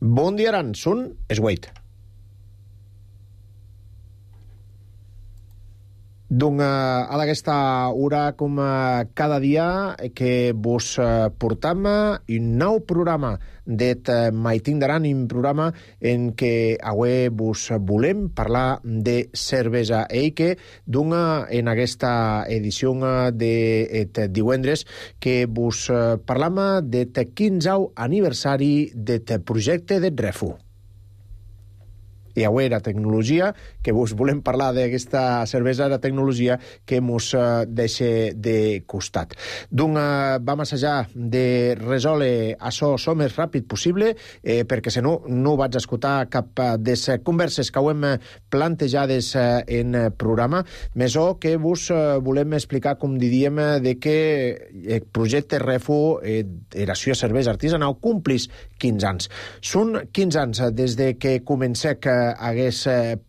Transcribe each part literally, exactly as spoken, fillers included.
Bon dia, Aran. Són es vuit. Donc, a d'aquesta hora, com cada dia, que vos portam un nou programa d'et Maitin d'Aran, un programa en què avui vos volem parlar de cervesa i que dona en aquesta edició d'et divendres que vos parlam d'et quinzau aniversari d'et projecte d'et Refu. I avui la tecnologia, que vos volem parlar d'aquesta cervesa, la tecnologia que mos deixa de costat. Donc, vam assajar de resoldre això el més ràpid possible, eh, perquè si no, no vaig escoltar cap de les converses que ho hem plantejades en programa, més o que vos volem explicar, com diríem, de que el projecte Refu, eh, era la cervesa artesanal, complís quinze anys. Són quinze anys des de que comencé que hagués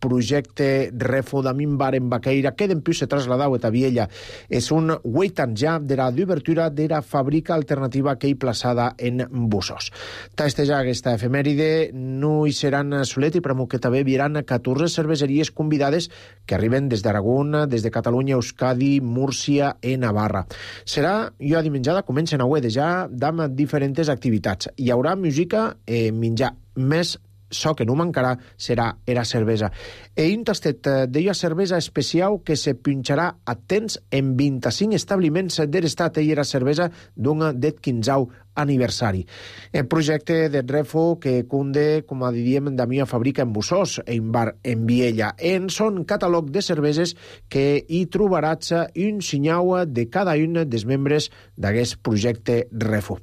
projecte Refu d'Amin Bar en Baqueira, que d'empús se trasladau a Viella. És un vuit anys ja de la d'obertura de la fàbrica alternativa que hi plaçada en Bussos. Testejar aquesta efemèride no hi seran solet i premo que també vieran catorze cerveseries convidades que arriben des d'Aragón, des de Catalunya, Euskadi, Múrcia i Navarra. Serà jo dimenjada, comencen avui de ja, amb diferents activitats. Hi haurà música i menjar més. So que no mancarà serà era cervesa. E un tastet d'ella cervesa especial que se pinxarà a temps en vint-i-cinc establiments de l'estat i era cervesa d'un d'et quinzau aniversari. El projecte de Refu que cunde, com a diríem, de mia fàbrica en Bussos, en bar en Viella. En son catàleg de cerveses que hi trobaràs un sinyau de cada un dels membres d'aquest projecte Refu.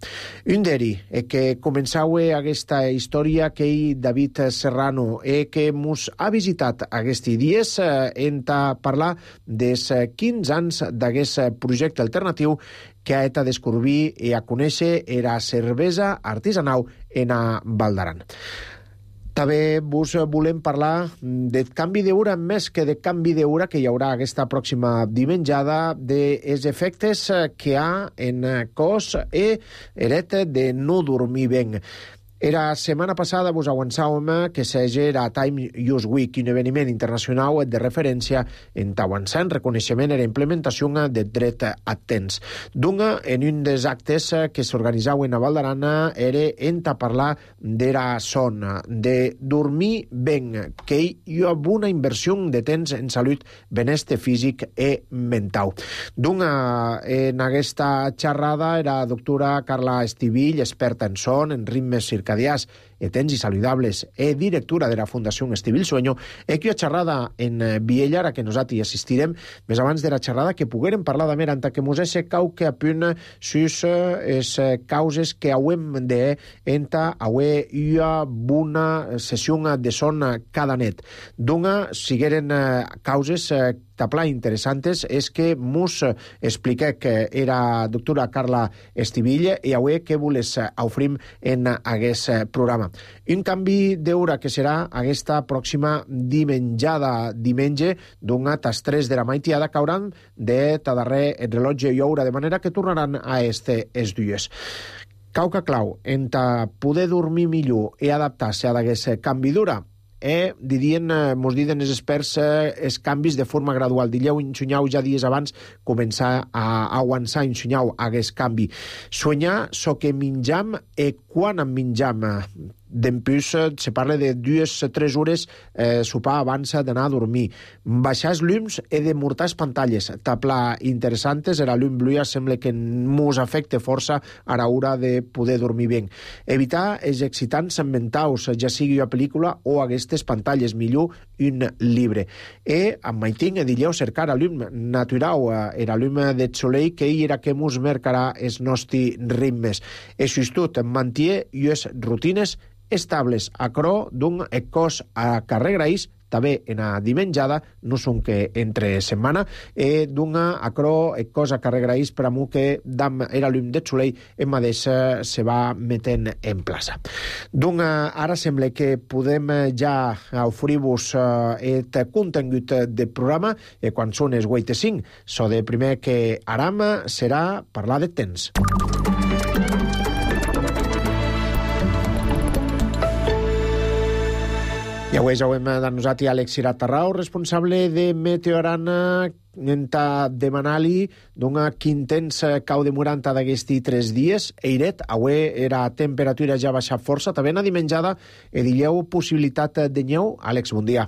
Un d'eri, que començau aquesta història que hi David Serrano e que mos ha visitat aquests dies en parlar dels quinze anys d'aquest projecte alternatiu que ha et a descobrir i a conèixer era cervesa artesanal en a Val d'Aran. També vos volem parlar de canvi d'hora, més que de canvi d'hora que hi haurà aquesta pròxima dimenjada, dels efectes que hi ha en cos i eret de no dormir bé. Era setmana passada vos avançàvem que s'agera a Time Use Week, un esdeveniment internacional de referència en avançant reconeixement i implementació del dret a temps. Dunga, en un dels actes que s'organitzaven a Val d'Aran era en parlar de la son, de dormir ben, que hi ha una inversió de temps en salut, benestar físic i mental. Dunga, en aquesta xerrada era la doctora Carla Estivill, experta en son, en ritmes circadians e temps i saludables e directora de la Fundació Estivill Sueño, e que ha xerrada en Viella, a que nosaltres assistirem més abans de la xerrada que poguérem parlar de mer anta que mos ese cau que apunt sus es causes que hauem de enta haué ua bona sessió de son cada net. Dunga, sigueren causes tapla interessantes és que mos expliqué que era doctora Carla Estivill i avui que voles ofrim en aquest programa. Un canvi d'hora que serà aquesta pròxima dimenjada diumenge d'una tas tres de la maitiada cauran de tadarrer el rellotge i hora, de manera que tornaran a este es dies. Cauca clau, enta poder dormir millor i adaptar-se a d'aquest canvi d'hora, e dirien, mos diuen els experts, els canvis de forma gradual. Dilleu, ensunyau ja dies abans començar a avançar, ensunyau aquest canvi. Soñar so que menjam e quan en menjam. D'empús se parla de dues o tres hores eh, sopar abans d'anar a dormir. Baixar els llums i de murtar les pantalles. Tapla interessantes, era llum bluia sembla que mos afecta força a l'hora de poder dormir bé. Evitar els excitants mentals, ja sigui una pel·lícula o aquestes pantalles, millor un llibre. I amb maiting, dilleu, cercar a llum natural, era llum de soleil que hi era que mos marcarà els nostres ritmes. I justut, manté les rutines estables a cro d'un cos a carrer Graís, també en a dimenjada, no són que entre setmana, e d'una a cro cos a carrer Graís per amunt que dam era llum de soleil en mateix se va metent en plaça. D'una, ara sembla que podem ja oferir-vos et contingut de programa e quan són els vuit i cinc. So de primer que aram serà parlar de temps. I avui ja ho hem de nosaltres Àlex Cirat Tarrau, responsable de Meteorana, enta demanar-li d'una quintens cau de moranta d'aquesti tres dies. Eiret, avui era temperatura ja baixat força, també na dimenjada e dilleu possibilitat de nyeu. Àlex, bon dia.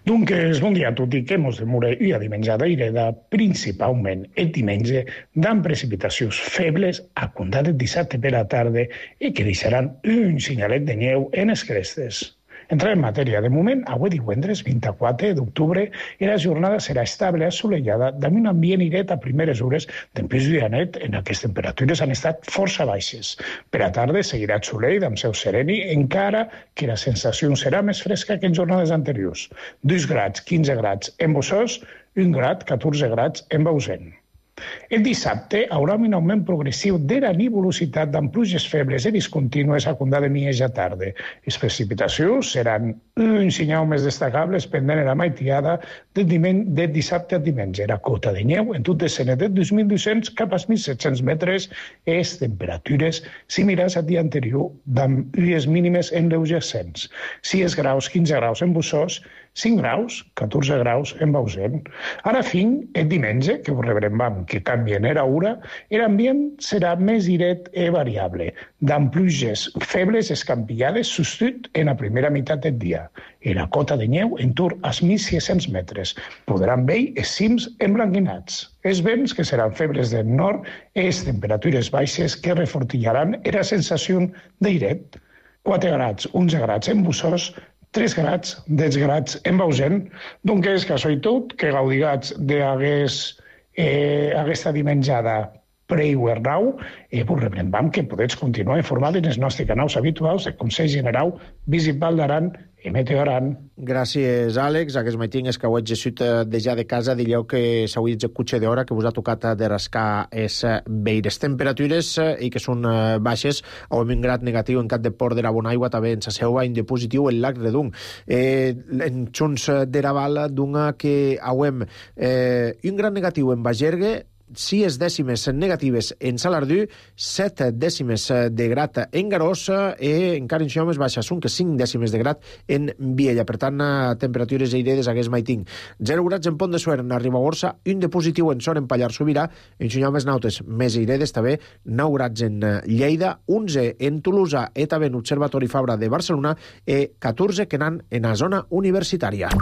Dunques, bon dia a tutti, que mos demora i a dimenjada ireda principalment el diumenge d'an precipitacions febles a comptar del dissabte per la tarda i que deixaran un senyalet de nyeu en les crestes. Entrar en matèria. De moment, avui divendres vint-i-quatre d'octubre, la jornada serà estable, assolellada, amb un ambient iret a primeres hores, d'empís de net, en aquestes temperatures han estat força baixes. Per a tarda seguirà soleil amb seu sereni, encara que la sensació serà més fresca que en jornades anteriors. dos graus, quinze graus en Bossòs, un grau, catorze graus en Bausen. El dissabte haurà un augment progressiu de la nuvolositat amb pluges febles i discontínues a comptar de mitja tarda. Les precipitacions seran un senyal més destacable pendent la maitiada del, del dissabte al diumenge. La cota de neu en tot descens de dos mil dos-cents cap als mil set-cents metres és temperatures similars al dia anterior, amb ues mínimes en l'eugescents. sis graus, quinze graus en Bossòs, cinc graus, catorze graus en Bausen. Ara fin, el diumenge, que ho rebrem amb que canvien era hora, l'ambient serà més iret i variable, d'amb pluges febles escampillades substitut en la primera meitat del dia. I la cota de neu en torn als mil sis-cents metres. Podran veure els cims emblanquinats. Els vents, que seran febles del nord, i les temperatures baixes que refortillaran la sensació d'iret. quatre graus, onze graus en Bossòs, tres graus, deu graus en Bausen, doncs és que això i tot, que gaudigats d'aquesta eh, dimenjada pre-hivernau, eh, pues rebrem que podeu continuar informats en els nostres canals habituals de Consell General Visible d'Aran i Meteoran. Gràcies, Àlex. Aquest matí és que ho he exercit de ja de casa, dilleu que s'havia executxe d'hora que us ha tocat de rascar es veires temperatures i que són baixes. Ho hem un grad negatiu en Cap de Port de la Bonaigua, també en sa seva en de positiu el Lac Redung. Eh, en Junts de Raval, d'una que hauem eh, un grad negatiu en Bagergue, sis dècimes negatives en Salardú, set dècimes de grat en Garós i encara en això més baixes, són que cinc dècimes de grat en Viella. Per tant, temperatures airedes aquest maiting. zero graus en Pont de Suert, a Ribagorça, un de positiu en Son, en Pallar Sobirà, en això més nautes, més airedes també, nou graus en Lleida, onze en Tolosa i també en l'Observatori Fabra de Barcelona i catorze que anan en la zona universitària.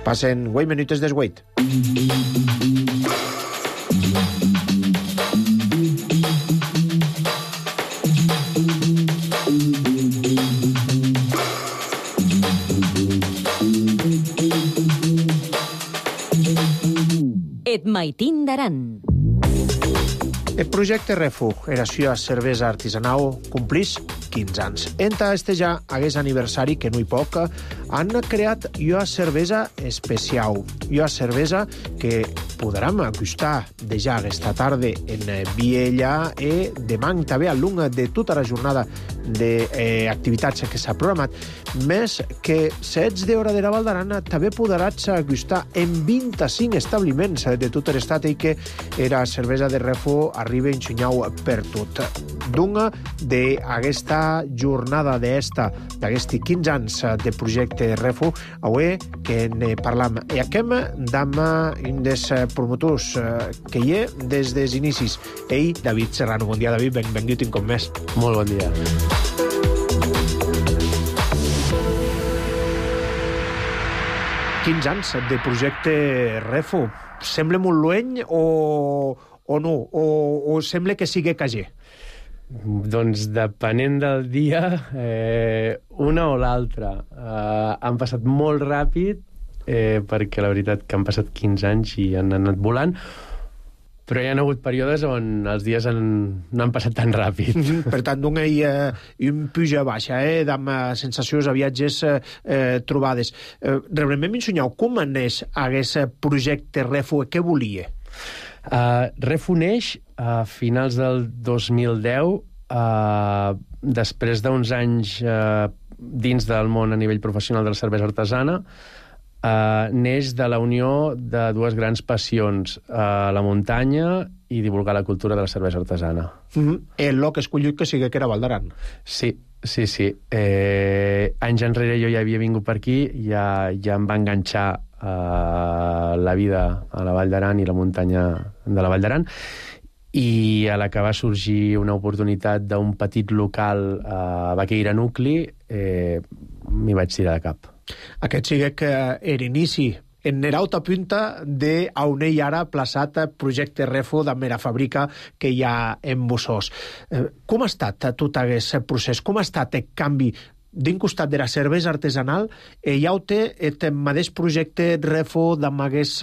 Passen vuit minutes des vuit. Et maitin d'Aran. El projecte Refug, eració a cervesa artesanal, complís quinze anys. Enta este ja hagués aniversari, que no hi poc, han creat ua cervesa especial. Ua cervesa que podrem gustar de ja aquesta tarda en Viella i demà també al long de tota la jornada d'activitats que s'ha programat. Més que setze d'hora de la Val d'Aran també podràs gustar en vint-i-cinc establiments de tot l'estat i que era cervesa de Refug arriba ensenyau per tot. D'una d'aquesta jornada d'esta, d'aquesti quinze anys de projecte Refug, avui que ne parlam. I aquem d'am un dels promotors que hi ha des dels inicis. Ell, David Serrano. Bon dia, David. Benvingut un cop més. Molt bon dia. quinze anys de projecte Refug. Sembla molt lueny o, o no? O, o sembla que sigui cager? Doncs depenent del dia, eh, una o l'altra. Eh, han passat molt ràpid, eh, perquè la veritat que han passat quinze anys i han anat volant, però hi ha hagut períodes on els dies han, no han passat tan ràpid. Per tant, d'un eh, un puja-baixa, eh, amb sensacions a viatges eh, trobades. Eh, realment m'ensenyeu com neix aquest projecte Refug? Què volia? Uh, Refug neix a finals del dos mil deu, uh, després d'uns anys uh, dins del món a nivell professional de la cervesa artesana. Uh, neix de la unió de dues grans passions, uh, la muntanya i divulgar la cultura de la cervesa artesana. Mm-hmm. El lloc escollit que sigui que era Val d'Aran. Sí, sí, sí. Eh, anys enrere jo ja havia vingut per aquí, ja, ja em va enganxar uh, la vida a la Vall d'Aran i la muntanya de la Vall d'Aran, i a la que va sorgir una oportunitat d'un petit local a Baqueira Nucli, eh, m'hi vaig tirar de cap. Aquest sigue que era inici en nerauta punta de on ell ara plaçat projecte Refo de mera fàbrica que hi ha en Bussós. Eh, com ha estat tot aquest procés? Com ha estat el canvi d'un costat de la cervesa artesanal e hi ha el mateix projecte Refo d'amb hagués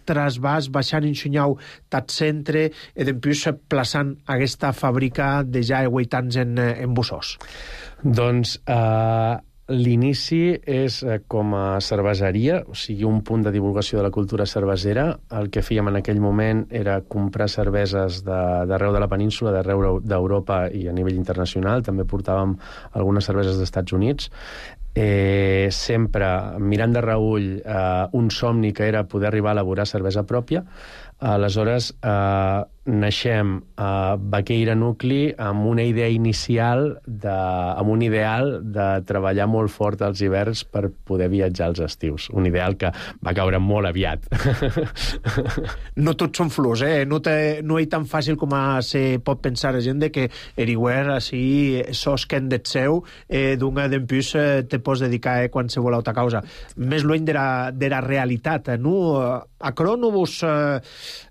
trasbàs baixant en xunyau tat centre e dempuix plaçant aquesta fàbrica de ja vuitanta anys en, en Bussós? Doncs eh, l'inici és eh, com a cerveseria, o sigui, un punt de divulgació de la cultura cervesera. El que fèiem en aquell moment era comprar cerveses d'arreu de, de la península, d'arreu d'Europa i a nivell internacional. També portàvem algunes cerveses dels Estats Units. Eh, sempre mirant de reüll eh, un somni que era poder arribar a elaborar cervesa pròpia. Aleshores, eh, naixem a Baqueira Nucli amb una idea inicial, de, amb un ideal de treballar molt fort als hiverns per poder viatjar als estius. Un ideal que va caure molt aviat. No tots són flors, eh? No, te, no és tan fàcil com a se pot pensar la gent de que eriguer així sos que en det seu eh, d'una d'empús eh, te pots dedicar a eh, qualsevol altra causa. Més lluny de la, de la realitat, eh, no? A Cro no vos eh,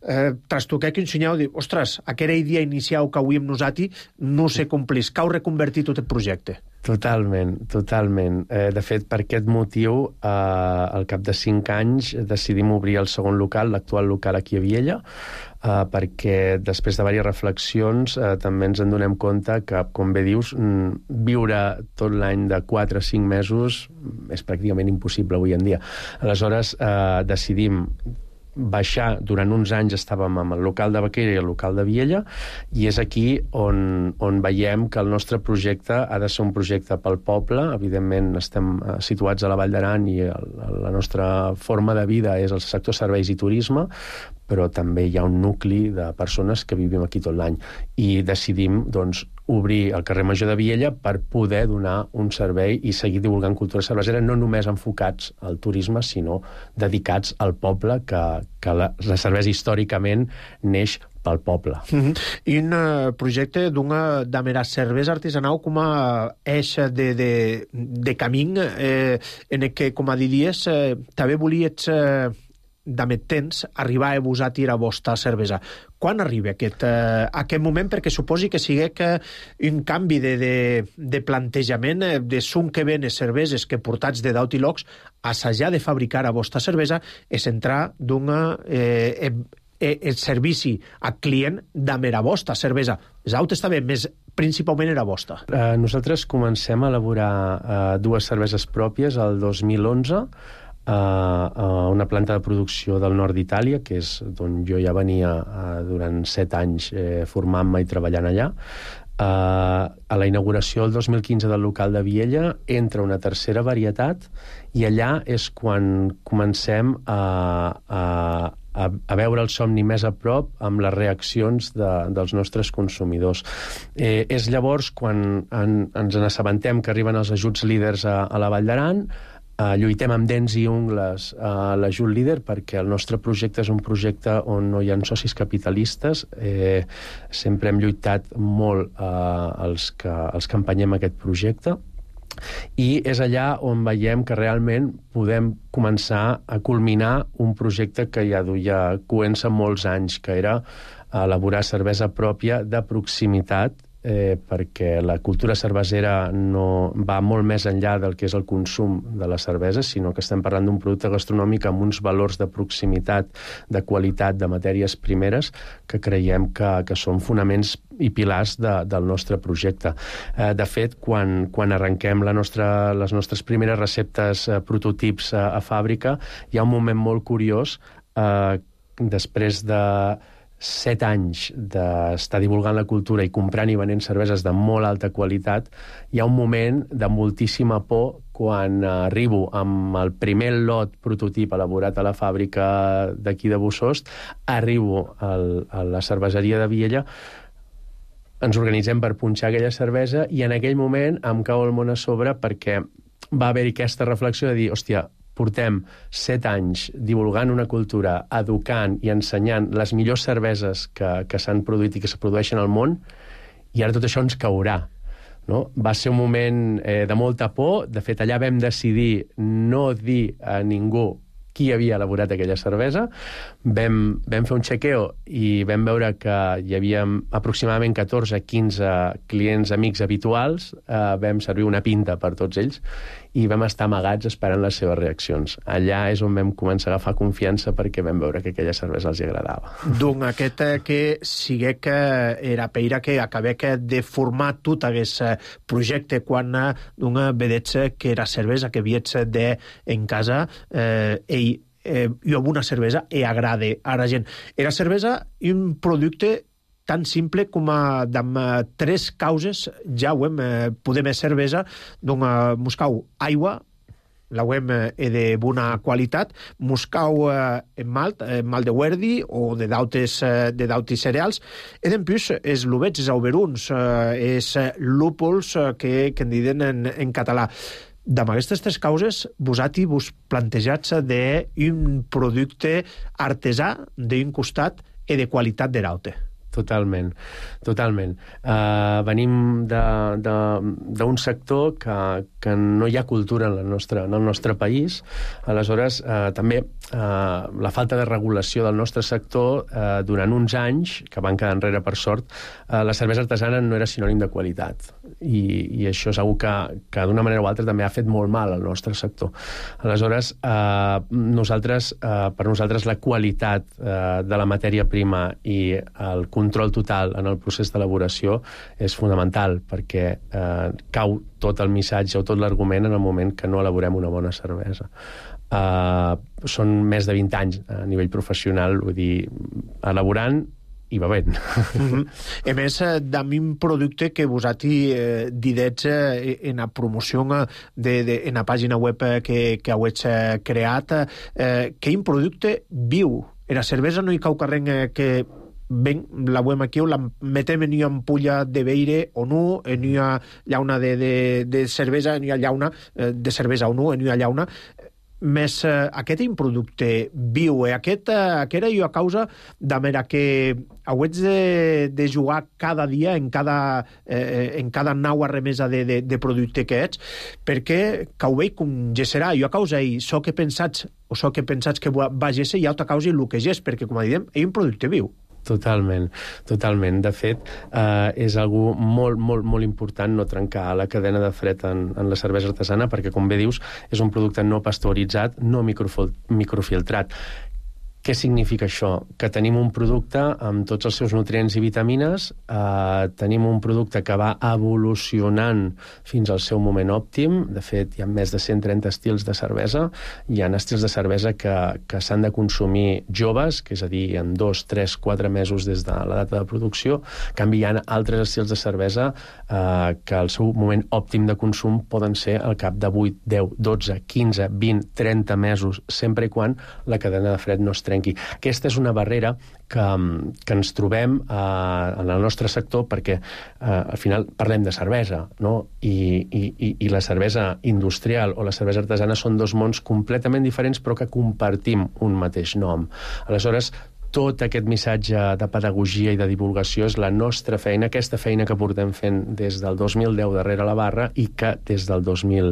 eh, trastoqueu que ensenyeu dir, ostres, aquella idea inicial que avui amb nosaltres no se complís, que heu reconvertit tot el projecte. Totalment, totalment. Eh, de fet, per aquest motiu, eh, al cap de cinc anys decidim obrir el segon local, l'actual local aquí a Viella, eh, perquè després de diverses reflexions eh, també ens en donem compte que, com bé dius, viure tot l'any de quatre a cinc mesos és pràcticament impossible avui en dia. Aleshores, eh, decidim baixar, durant uns anys estàvem amb el local de Baqueira i el local de Viella, i és aquí on, on veiem que el nostre projecte ha de ser un projecte pel poble. Evidentment estem situats a la Vall d'Aran i el, la nostra forma de vida és el sector serveis i turisme, però també hi ha un nucli de persones que vivim aquí tot l'any, i decidim, doncs, obrir el carrer Major de Viella per poder donar un servei i seguir divulgant cultura cervesera, no només enfocats al turisme, sinó dedicats al poble, que, que la, la cervesa històricament neix pel poble. Mm-hmm. I un uh, projecte d'una de mera cervesa artesanal com a eix de, de, de camí eh, en el que, com a diries, eh, també volies eh, d'amет temps arribar a vos a tirar vostra cervesa. Quan arriba aquest, eh, aquest moment? Perquè suposi que sigui que un canvi de, de, de plantejament de son que ven cerveses que portats de d'aut i locs, assajar de fabricar a vostra cervesa és entrar d'una eh, eh, el servici a client de mera vostra cervesa. L'aut està bé, més principalment era vostra. Uh, nosaltres comencem a elaborar uh, dues cerveses pròpies el dos mil onze, a uh, una planta de producció del nord d'Itàlia, que és d'on jo ja venia uh, durant set anys eh, formant-me i treballant allà. Uh, a la inauguració el dos mil quinze del local de Viella entra una tercera varietat, i allà és quan comencem a, a, a, a veure el somni més a prop amb les reaccions de, dels nostres consumidors. Eh, és llavors quan en, ens n'assabentem que arriben els ajuts líders a, a la Vall d'Aran. Uh, lluitem amb dents i ungles a uh, l'ajut líder, perquè el nostre projecte és un projecte on no hi ha socis capitalistes. Eh, sempre hem lluitat molt uh, els, que, els que empenyem aquest projecte, i és allà on veiem que realment podem començar a culminar un projecte que ja duia coent-se molts anys, que era elaborar cervesa pròpia de proximitat, Eh, perquè la cultura cervesera no va molt més enllà del que és el consum de la cervesa, sinó que estem parlant d'un producte gastronòmic amb uns valors de proximitat, de qualitat, de matèries primeres, que creiem que, que són fonaments i pilars de, del nostre projecte. Eh, de fet, quan, quan arrenquem la nostra, les nostres primeres receptes, eh, prototips a, a fàbrica, hi ha un moment molt curiós, eh, després de set anys d'estar divulgant la cultura i comprant i venent cerveses de molt alta qualitat, hi ha un moment de moltíssima por quan arribo amb el primer lot prototip elaborat a la fàbrica d'aquí de Bossòst, arribo al, a la cerveseria de Viella, ens organitzem per punxar aquella cervesa i en aquell moment em cau el món a sobre perquè va haver-hi aquesta reflexió de dir, hòstia, portem set anys divulgant una cultura, educant i ensenyant les millors cerveses que, que s'han produït i que es produeixen al món, i ara tot això ens caurà. No? Va ser un moment eh, de molta por. De fet, allà vam decidir no dir a ningú qui havia elaborat aquella cervesa. Vam, vam fer un chequeo i vam veure que hi havia aproximadament catorze a quinze clients amics habituals. Eh, vam servir una pinta per tots ells i vam estar amagats esperant les seves reaccions. Allà és on vam començar a agafar confiança perquè vam veure que aquella cervesa els agradava. Donc aquest que sigué que era peira que acabé que de formar tot aquest projecte quan d'un vedets que era cervesa que viets de en casa eh, ell eh, jo una cervesa e agrade a la gent. Era cervesa un producte tan simple com a amb tres causes ja ho hem, eh, podem cervesa, doncs eh, moscau aigua, la web eh, de bona qualitat, moscau eh, en malt, eh, malt de Werdi o de dautes eh, de dautes cereals, i en plus és l'uvets, és auberuns, eh, és lúpols eh, que, que en diuen en, en català. D'amb aquestes tres causes, vosaltres vos plantejats d'un producte artesà d'un costat i de qualitat de raute. Totalment, totalment. Uh, venim d'un sector que, que no hi ha cultura en, la nostra, en el nostre país. Aleshores, uh, també uh, la falta de regulació del nostre sector uh, durant uns anys, que van quedar enrere per sort, uh, la cervesa artesana no era sinònim de qualitat. I, i això és una que, que d'una manera o altra també ha fet molt mal al nostre sector. Aleshores, uh, nosaltres, uh, per nosaltres la qualitat uh, de la matèria prima i el control total en el procés d'elaboració és fonamental perquè eh, cau tot el missatge o tot l'argument en el moment que no elaborem una bona cervesa. Eh, són més de vint anys a nivell professional, vull dir, elaborant i bevent. Mm-hmm. A més, d'ami un producte que vosaltres eh, didets eh, en la promoció de, de, en la pàgina web que, que heu creat, eh, que un producte viu. En la cervesa no hi cau carrer eh, que ben, la veiem aquí, la metem en una ampolla de beire o no, en una llauna de, de, de cervesa, en una llauna de cervesa o no, en una llauna. Més eh, aquest un producte viu, eh? aquest, eh, aquest era jo a causa de manera que hauets de, de jugar cada dia en cada, eh, en cada nau arremesa de, de, de producte que ets, perquè que ho veig com gesserà. Jo a causa i so que pensats o so que pensats que va gesser i altra causa i el que gés, perquè com a diem, és un producte viu. Totalment, totalment. De fet, eh, és algo molt, molt, molt important no trencar la cadena de fred en, en la cervesa artesana perquè, com bé dius, és un producte no pasteuritzat, no microfiltrat. Què significa això? Que tenim un producte amb tots els seus nutrients i vitamines, eh, tenim un producte que va evolucionant fins al seu moment òptim. De fet, hi ha més de cent trenta estils de cervesa. Hi ha estils de cervesa que, que s'han de consumir joves, que és a dir, en dos, tres, quatre mesos des de la data de producció. En canvi, hi ha altres estils de cervesa eh, que el seu moment òptim de consum poden ser al cap de vuit, deu, dotze, quinze, vint, trenta mesos, sempre i quan la cadena de fred no es trenqui. Aquesta és una barrera que, que ens trobem eh, en el nostre sector perquè eh, al final parlem de cervesa, no? I, i, i la cervesa industrial o la cervesa artesana són dos mons completament diferents però que compartim un mateix nom. Aleshores, tot aquest missatge de pedagogia i de divulgació és la nostra feina, aquesta feina que portem fent des del dos mil deu darrere la barra i que des del dos mil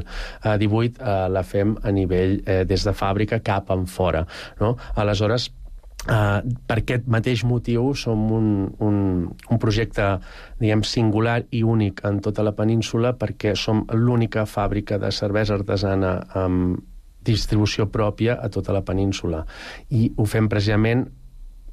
divuit eh, la fem a nivell eh, des de fàbrica cap en fora. No? Aleshores, Uh, per aquest mateix motiu som un, un, un projecte diguem, singular i únic en tota la península perquè som l'única fàbrica de cervesa artesana amb distribució pròpia a tota la península i ho fem precisament.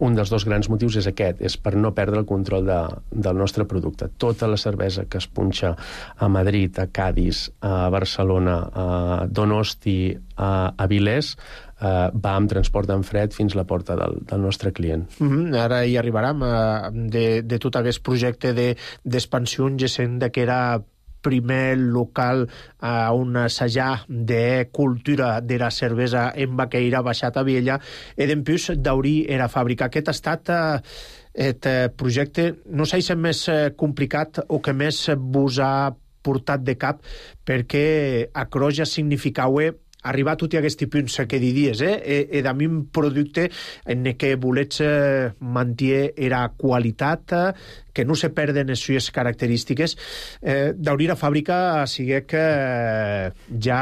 Un dels dos grans motius és aquest, és per no perdre el control de, del nostre producte. Tota la cervesa que es punxa a Madrid, a Cadis, a Barcelona, a Donosti, a Avilés, eh, va amb transport en fred fins a la porta del, del nostre client. Mm-hmm. Ara hi arribarem eh, de, de tot aquest projecte d'expansió, de, sent que era primer local a on assajar de cultura de la cervesa en Baqueira, baixat a Viella, e dempús d'aurir era fàbrica. Aquest ha estat eh, et projecte, no sé si és més complicat o que més vos ha portat de cap, perquè a Croja significava arribar a tots aquests punts que diries, eh? E, e de mi un producte en què volets eh, mantenir era qualitat, eh, que no se perden les sues característiques. Eh, d'obrir la fàbrica sigui que eh, ja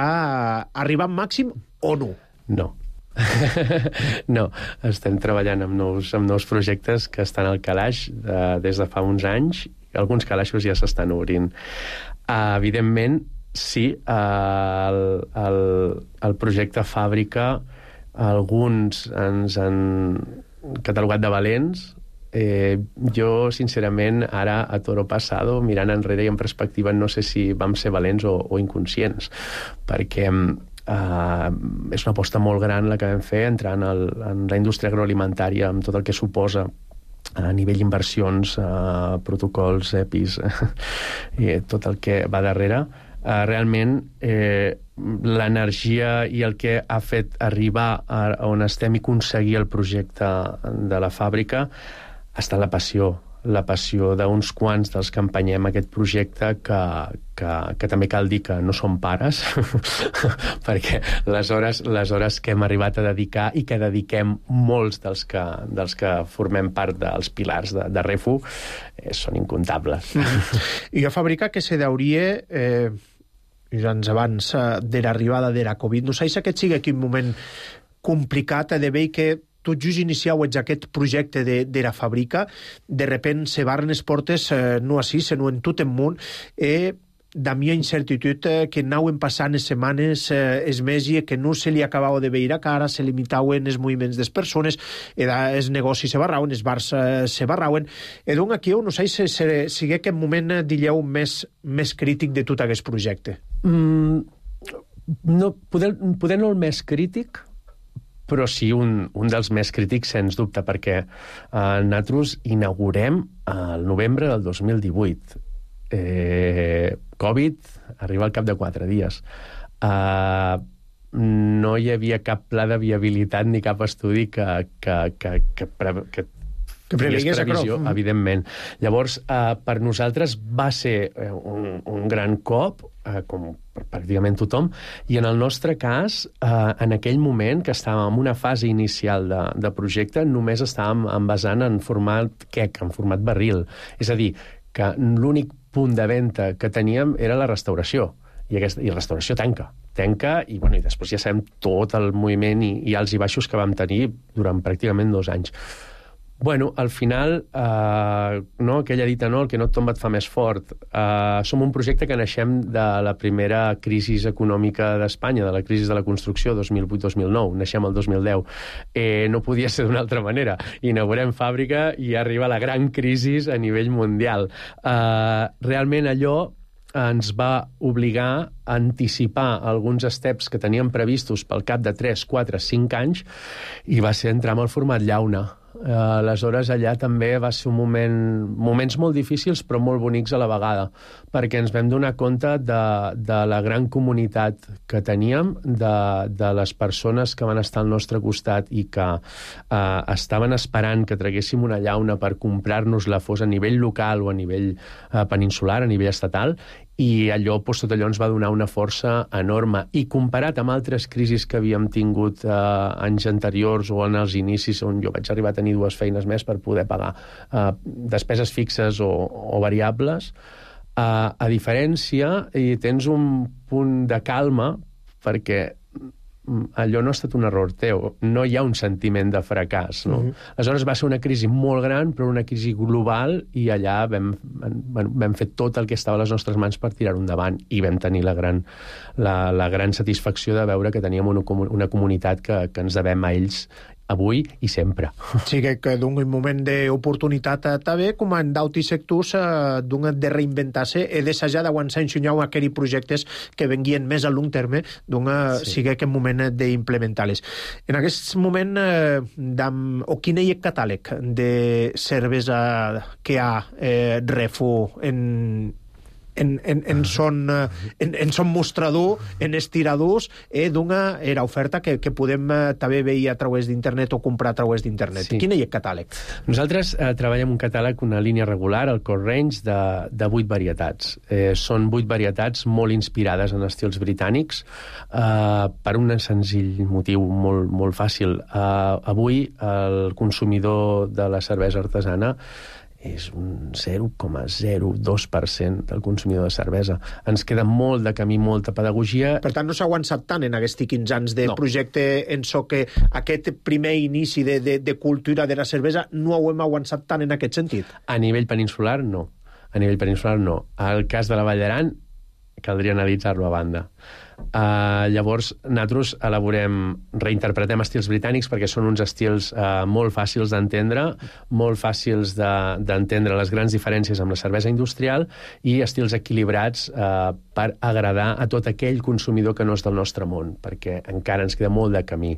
arriba al màxim o no? No. No, estem treballant amb nous, amb nous projectes que estan al calaix de, des de fa uns anys. Alguns calaixos ja s'estan obrint. Uh, evidentment, sí, el, el, el projecte fàbrica, alguns ens han catalogat de valents. Eh, jo, sincerament, ara, a toro passado, mirant enrere i en perspectiva, no sé si vam ser valents o, o inconscients, perquè eh, és una aposta molt gran la que vam fer entrant al, en la indústria agroalimentària, amb tot el que suposa a nivell inversions, eh, protocols, E P Is, i tot el que va darrere. Eh, realment, eh, l'energia i el que ha fet arribar a on estem i aconseguir el projecte de la fàbrica ha estat la passió, la passió d'uns quants dels que empenyem aquest projecte, que, que, que també cal dir que no som pares, perquè les hores, les hores que hem arribat a dedicar i que dediquem molts dels que, dels que formem part dels pilars de, de Refu eh, són incontables. I la fàbrica que se deuria eh, anys abans eh, de l'arribada de la Covid, no sé si aquest sigui quin moment complicat de veure que tot just iniciau aquest projecte de, de la fàbrica, de repent se barren les portes, eh, no així, sinó en tot el món, e da mia incertitud eh, que anaven passant les setmanes, eh, es mesos, que no se li acabava de veure que ara se limitaven els moviments de les persones, e da, els negocis se barrauen, els bars eh, se barrauen, e doncs aquí no sé si sigui aquest moment, dilleu, més, més crític de tot aquest projecte. Mm, no, poder, poder no el més crític, però sí un, un dels més crítics, sens dubte, perquè eh, nosaltres inaugurem el novembre del dos mil divuit. Eh, Covid arriba al cap de quatre dies. Eh, no hi havia cap pla de viabilitat ni cap estudi que, que, que, que, que, que que prevegués previsió, evidentment. Llavors, eh, per nosaltres va ser eh, un, un gran cop, eh, com per pràcticament tothom, i en el nostre cas, eh, en aquell moment, que estàvem en una fase inicial de, de projecte, només estàvem envasant en format quec, en format barril. És a dir, que l'únic punt de venda que teníem era la restauració, i, aquesta, i la restauració tanca. Tanca, i, bueno, i després ja sabem tot el moviment i, i alts i baixos que vam tenir durant pràcticament dos anys. Bueno, al final, eh, no, aquella dita, no, el que no et tomba et fa més fort. Eh, som un projecte que naixem de la primera crisi econòmica d'Espanya, de la crisi de la construcció, dos mil vuit dos mil nou, naixem el dos mil deu. Eh, no podia ser d'una altra manera. Inaugurem fàbrica i arriba la gran crisi a nivell mundial. Eh, realment allò ens va obligar a anticipar alguns steps que teníem previstos pel cap de tres, quatre, cinc anys, i va ser entrar en el format llauna. Uh, aleshores, allà també va ser un moment, moments molt difícils però molt bonics a la vegada, perquè ens vam donar compte de, de la gran comunitat que teníem, de, de les persones que van estar al nostre costat i que uh, estaven esperant que traguéssim una llauna per comprar-nos-la, fos a nivell local o a nivell uh, peninsular, a nivell estatal, i allò, doncs, tot allò ens va donar una força enorme. I comparat amb altres crisis que havíem tingut eh, anys anteriors o en els inicis, on jo vaig arribar a tenir dues feines més per poder pagar eh, despeses fixes o, o variables, eh, a diferència, i tens un punt de calma, perquè allò no ha estat un error teu, no hi ha un sentiment de fracàs, no? Uh-huh. Aleshores va ser una crisi molt gran, però una crisi global, i allà vam, vam, vam fer tot el que estava a les nostres mans per tirar-ho endavant, i vam tenir la gran, la, la gran satisfacció de veure que teníem una, una comunitat que, que ens devem a ells avui i sempre. Sí, que, que d'un moment d'oportunitat eh, també, com en d'altres sectors, eh, d'un de reinventar-se i d'assajar d'aguançar enxunyau aquells projectes que venguien més a long terme, d'un sí. sigui aquest moment d'implementar-les. En aquest moment, eh, dam, o quin és el catàleg de cervesa que ha eh, Refu en... en, en, en, son, en, en son mostrador, en estiradors, eh, d'una era oferta que, que podem eh, també veure a través d'internet o comprar a través d'internet. Sí. Quin és el catàleg? Nosaltres eh, treballem un catàleg, una línia regular, el core range, de, de vuit varietats. Eh, són vuit varietats molt inspirades en estils britànics, eh, per un senzill motiu molt, molt fàcil. Eh, avui el consumidor de la cervesa artesana és un zero coma zero dos per cent del consumidor de cervesa. Ens queda molt de camí, molta pedagogia. Per tant, no s'ha avançat tant en aquests quinze anys de no. projecte en so que aquest primer inici de, de, de cultura de la cervesa no ho hem avançat tant en aquest sentit? A nivell peninsular, no. A nivell peninsular, no. El cas de la Vall d'Aran, caldria analitzar-lo a banda. Uh, llavors, nosaltres elaborem, reinterpretem estils britànics perquè són uns estils uh, molt fàcils d'entendre, molt fàcils d'entendre de, les grans diferències amb la cervesa industrial i estils equilibrats uh, per agradar a tot aquell consumidor que no és del nostre món, perquè encara ens queda molt de camí.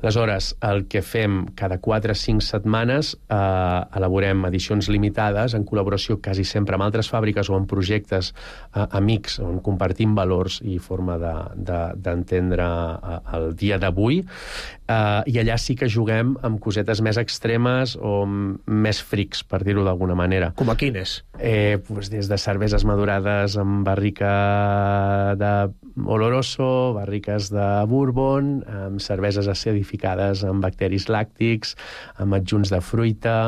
Aleshores, el que fem cada quatre o cinc setmanes, uh, elaborem edicions limitades en col·laboració quasi sempre amb altres fàbriques o amb projectes uh, amics on compartim valors i forma de d'entendre de, el dia d'avui, uh, i allà sí que juguem amb cosetes més extremes o més frics, per dir-ho d'alguna manera. Com a quines? Eh, pues des de cerveses madurades amb barrica de Oloroso, barriques de Bourbon, amb cerveses acidificades amb bacteris làctics, amb adjunts de fruita...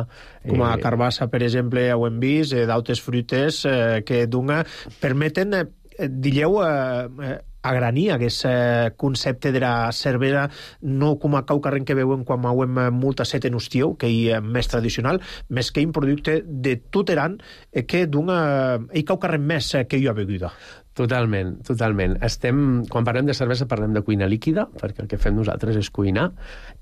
Com a carbassa, per exemple, ho hem vist, eh, d'altres fruites eh, que d'una permeten, eh, digueu, eh, agranir aquest eh, concepte de la cervesa, no com a caucarren que veuen quan mauem molta set en hostió, que hi és més tradicional, més que un producte de tot Aran, eh, que d'una... hi caucarren més eh, que hi ha beguda. Totalment, totalment. Estem, quan parlem de cervesa parlem de cuina líquida, perquè el que fem nosaltres és cuinar,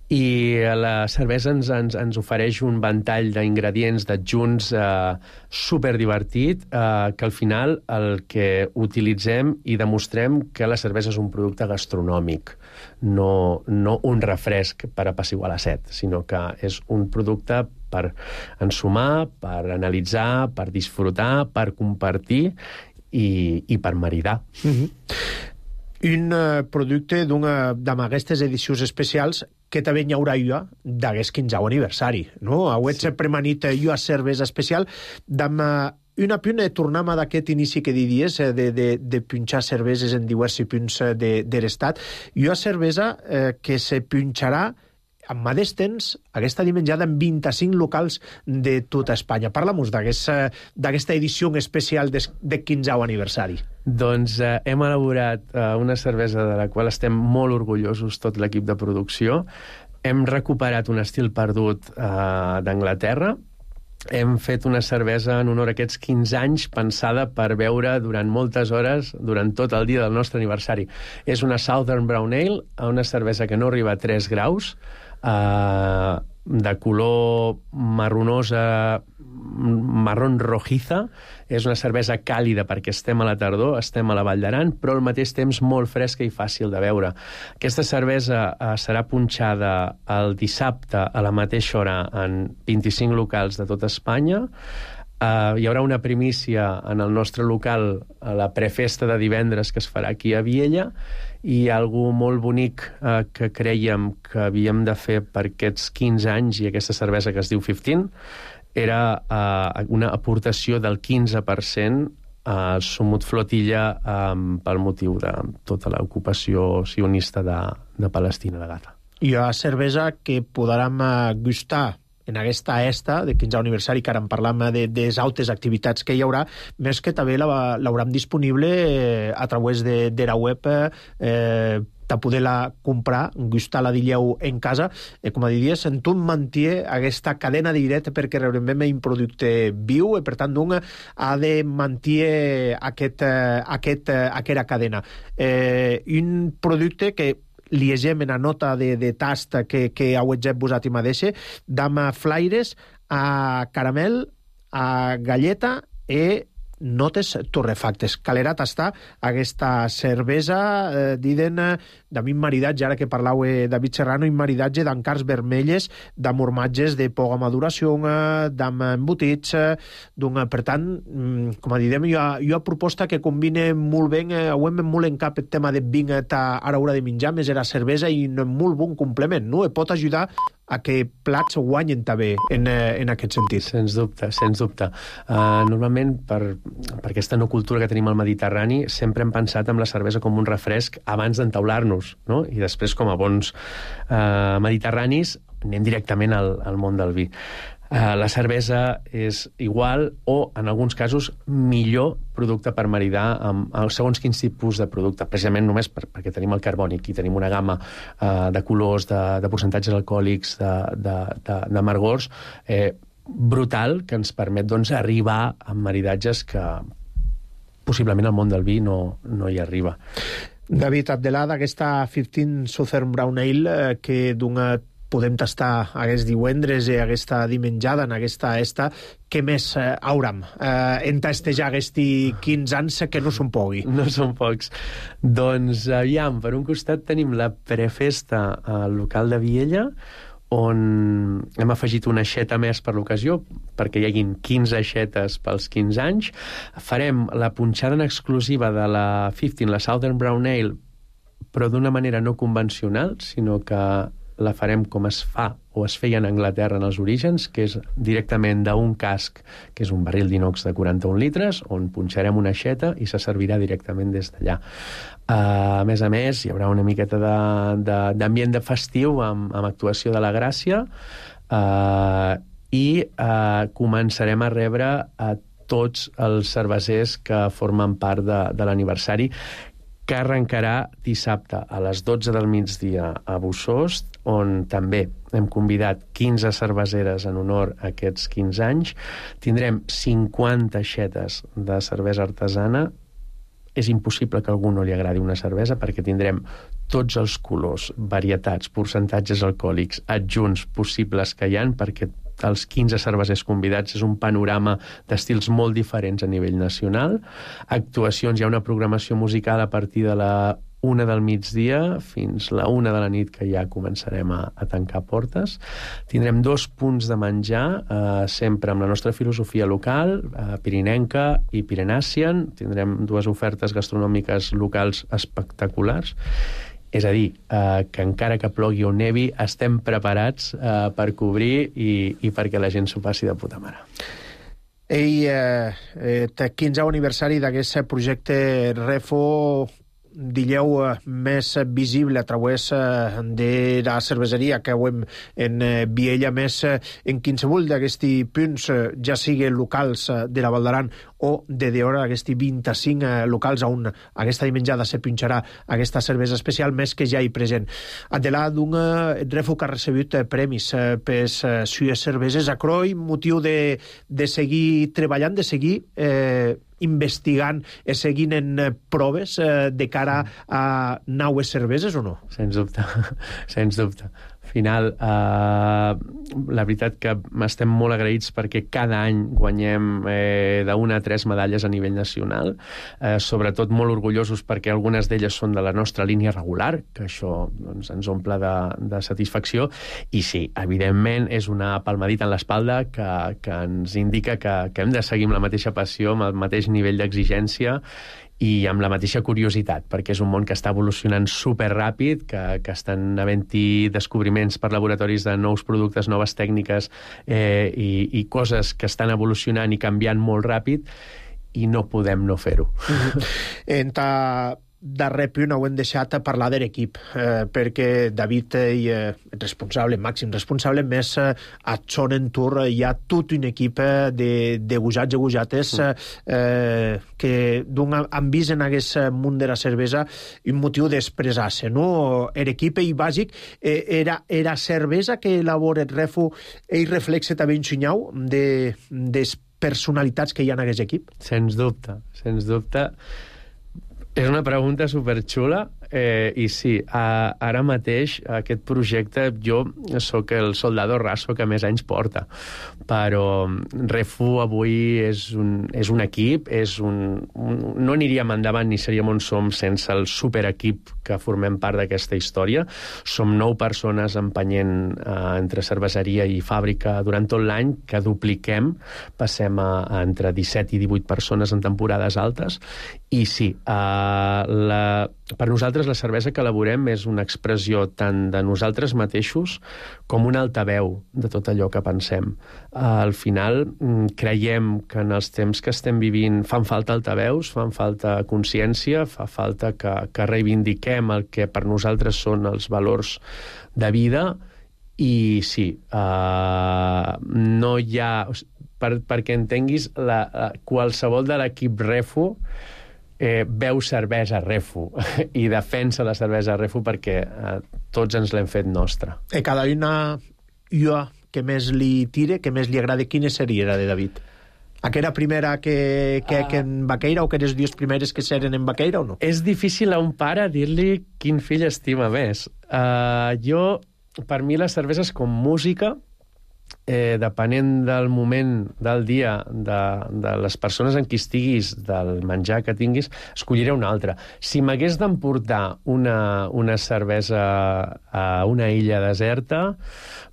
i la cervesa ens, ens, ens ofereix un ventall d'ingredients, d'adjunts eh, superdivertit, eh, que al final el que utilitzem i demostrem que la cervesa és un producte gastronòmic, no, no un refresc per apaciguar la set, sinó que és un producte per ensumar, per analitzar, per disfrutar, per compartir i, i per maridar. Mm-hmm. Un uh, producte d'una d'aquestes edicions especials que també hi haurà jo d'aquest quinzè aniversari, no? Avui sí. Premanit jo a cervesa especial d'am una puna de tornam d'aquest inici que diries de, de, de punxar cerveses en diversos punts de, de l'estat. Jo a cervesa eh, que se punxarà amb mateix temps, aquesta dimenjada en vint-i-cinc locals de tota Espanya. Parla-nos d'aquesta edició especial de, de quinzè aniversari. Doncs eh, hem elaborat eh, una cervesa de la qual estem molt orgullosos, tot l'equip de producció. Hem recuperat un estil perdut eh, d'Anglaterra. Hem fet una cervesa en honor a aquests quinze anys pensada per beure durant moltes hores, durant tot el dia del nostre aniversari. És una Southern Brown Ale, una cervesa que no arriba a tres graus, Uh, de color marronosa, marrón rojiza. És una cervesa càlida perquè estem a la tardor, estem a la Vall d'Aran, però al mateix temps molt fresca i fàcil de beure. Aquesta cervesa uh, serà punxada el dissabte a la mateixa hora en vint-i-cinc locals de tota Espanya. Uh, hi haurà una primícia en el nostre local a la prefesta de divendres que es farà aquí a Viella, i algo molt bonic uh, que creiem que havíem de fer per aquests quinze anys i aquesta cervesa que es diu quinze era uh, una aportació del quinze per cent a Sumut Flotilla um, pel motiu de tota l'ocupació sionista de, de Palestina de Gaza. Hi ha cervesa que podrem uh, gustar en aquesta esta de quinzè aniversari, que ara en parlam de, de les altres activitats que hi haurà, més que també l'hauran disponible eh, a través de, de la web eh, de poder-la comprar, gustar-la, digueu, en casa. Eh, com a diries, en tu manté aquesta cadena de directe perquè realment un producte viu i, per tant, un ha de mantenir aquest, aquest, aquesta cadena. Eh, un producte que liegem en la nota de, de tast que, que hauetgep posat i mateixa, dam flaires a caramel, a galleta e notes torrefactes. Calerà tastar aquesta cervesa, eh, diden, eh, de mi maridatge, ara que parlau eh, David Serrano, i maridatge d'encars vermelles, d'amormatges de poca maduració, eh, d'am embotits, eh, d'un, per tant, mm, com a didem, jo, jo proposta que combine molt bé, eh, ho hem molt en cap el tema de vinc a ara hora de menjar, més era cervesa i un molt bon complement, no? E pot ajudar a que plats guanyen també en, en aquest sentit. Sens dubte, sens dubte. Uh, normalment, per, per aquesta no cultura que tenim al Mediterrani, sempre hem pensat en la cervesa com un refresc abans d'entaular-nos, no? I després, com a bons uh, mediterranis, anem directament al, al món del vi. Uh, la cervesa és igual o, en alguns casos, millor producte per maridar amb, amb segons quins tipus de producte, precisament només per, perquè tenim el carbònic i tenim una gamma uh, de colors, de, de percentatges alcohòlics, de, de, de, de amargors, eh, brutal, que ens permet doncs, arribar a maridatges que possiblement al món del vi no, no hi arriba. David Abdelà, d'aquesta quinze Southern Brown Ale, eh, que d'una podem tastar aquest divendres i aquesta dimenjada en aquesta esta, què més eh, hauram eh, en tastejar aquests quinze anys que no són pogui? No són pocs. Doncs, aviam, per un costat tenim la prefesta al local de Viella, on hem afegit una aixeta més per l'ocasió, perquè hi haguin quinze aixetes pels quinze anys. Farem la punxada en exclusiva de la quinze, la Southern Brown Ale, però d'una manera no convencional, sinó que la farem com es fa o es feia en Anglaterra en els orígens, que és directament d'un casc, que és un barril d'inox de quaranta-un litres, on punxarem una aixeta i se servirà directament des d'allà. Uh, a més a més, hi haurà una miqueta d'ambient de, de, de festiu amb, amb actuació de la Gràcia, uh, i uh, començarem a rebre a tots els cervesers que formen part de, de l'aniversari, que arrencarà dissabte a les dotze del migdia a Bussost, on també hem convidat quinze cerveseres en honor a aquests quinze anys. Tindrem cinquanta aixetes de cervesa artesana. És impossible que a algú no li agradi una cervesa, perquè tindrem tots els colors, varietats, percentatges alcohòlics adjunts possibles que hi ha, perquè els quinze cervesers convidats és un panorama d'estils molt diferents a nivell nacional. Actuacions, hi ha una programació musical a partir de la una del migdia fins la una de la nit, que ja començarem a, a tancar portes. Tindrem dos punts de menjar, eh, sempre amb la nostra filosofia local, eh, pirinenca i pirenàcian. Tindrem dues ofertes gastronòmiques locals espectaculars. És a dir, eh, que encara que plogui o nevi, estem preparats eh, per cobrir i, i perquè la gent s'ho passi de puta mare. Ei, eh, eh, quinze aniversari d'aquest projecte Refo, dilleu eh, més visible a través eh, de la cerveseria que hem en eh, Viella, més eh, en qualsevol d'aquests punts, eh, ja sigui locals eh, de la Val d'Aran o de d'hora aquests vint-i-cinc eh, locals on aquesta dimenjada se punxarà aquesta cervesa especial, més que ja hi present. Adelà d'un eh, Refo que ha recebut eh, premis eh, per eh, sues cerveses, a croi motiu de, de seguir treballant, de seguir eh, investigant i seguint en eh, proves eh, de cara a naues cerveses o no? Sens dubte, sens dubte. Al final, eh, la veritat que estem molt agraïts perquè cada any guanyem eh, d'una a tres medalles a nivell nacional, eh, sobretot molt orgullosos perquè algunes d'elles són de la nostra línia regular, que això doncs, ens omple de, de satisfacció, i sí, evidentment és una palmadita en l'espalda que, que ens indica que, que hem de seguir amb la mateixa passió, amb el mateix nivell d'exigència i amb la mateixa curiositat, perquè és un món que està evolucionant superràpid, que, que estan havent-hi descobriments per laboratoris de nous productes, noves tècniques eh, i, i coses que estan evolucionant i canviant molt ràpid, i no podem no fer-ho. Mm-hmm. Enta darrer punt ho hem deixat a parlar de l'equip, eh, perquè David és eh, responsable, màxim responsable, més eh, a Sonen Tour hi ha tot un equip eh, de, de gujats i gujates eh, que han vist en aquest món de la cervesa un motiu d'expressar-se, no? L'equip és bàsic, eh, era, era cervesa que elabora el Refo i reflexa també un xinyau de, de personalitats que hi ha en aquest equip? Sens dubte, sens dubte. És una pregunta superxula Eh, I sí, a, ara mateix aquest projecte, jo sóc el soldado raso que més anys porta, però Refu avui és un, és un equip, és un, un, no aniríem endavant ni seríem on som sense el superequip que formem part d'aquesta història. Som nou persones empenyent eh, entre cerveseria i fàbrica durant tot l'any, que dupliquem, passem a, a entre disset i divuit persones en temporades altes, i sí, eh, la, per nosaltres la cervesa que elaborem és una expressió tant de nosaltres mateixos com un altaveu de tot allò que pensem. Eh, al final creiem que en els temps que estem vivint fan falta altaveus, fan falta consciència, fa falta que, que reivindiquem el que per nosaltres són els valors de vida, i sí, eh, no hi ha... Per, perquè entenguis, la, la, qualsevol de l'equip Refu eh, veu cervesa Refu i defensa la cervesa Refu perquè eh, tots ens l'hem fet nostra. E cada una ua que més li tire, que més li agrada, quina seria la de David? Aquella primera que, que, uh, que en Baqueira, o que les dues primeres que seren en Baqueira, o no? És difícil a un pare dir-li quin fill estima més. Uh, jo, per mi, les cerveses com música, Eh, depenent del moment del dia, de, de les persones en qui estiguis, del menjar que tinguis, escolliré una altra. Si m'hagués d'emportar una, una cervesa a una illa deserta,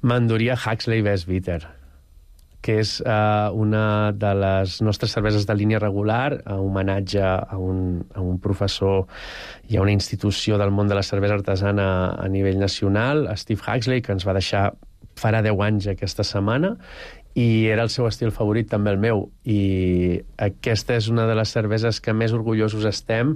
m'enduria Huxley Best Bitter, que és eh, una de les nostres cerveses de línia regular, a homenatge a un, a un professor i a una institució del món de la cervesa artesana a nivell nacional, Steve Huxley, que ens va deixar farà deu anys aquesta setmana, i era el seu estil favorit, també el meu, i aquesta és una de les cerveses que més orgullosos estem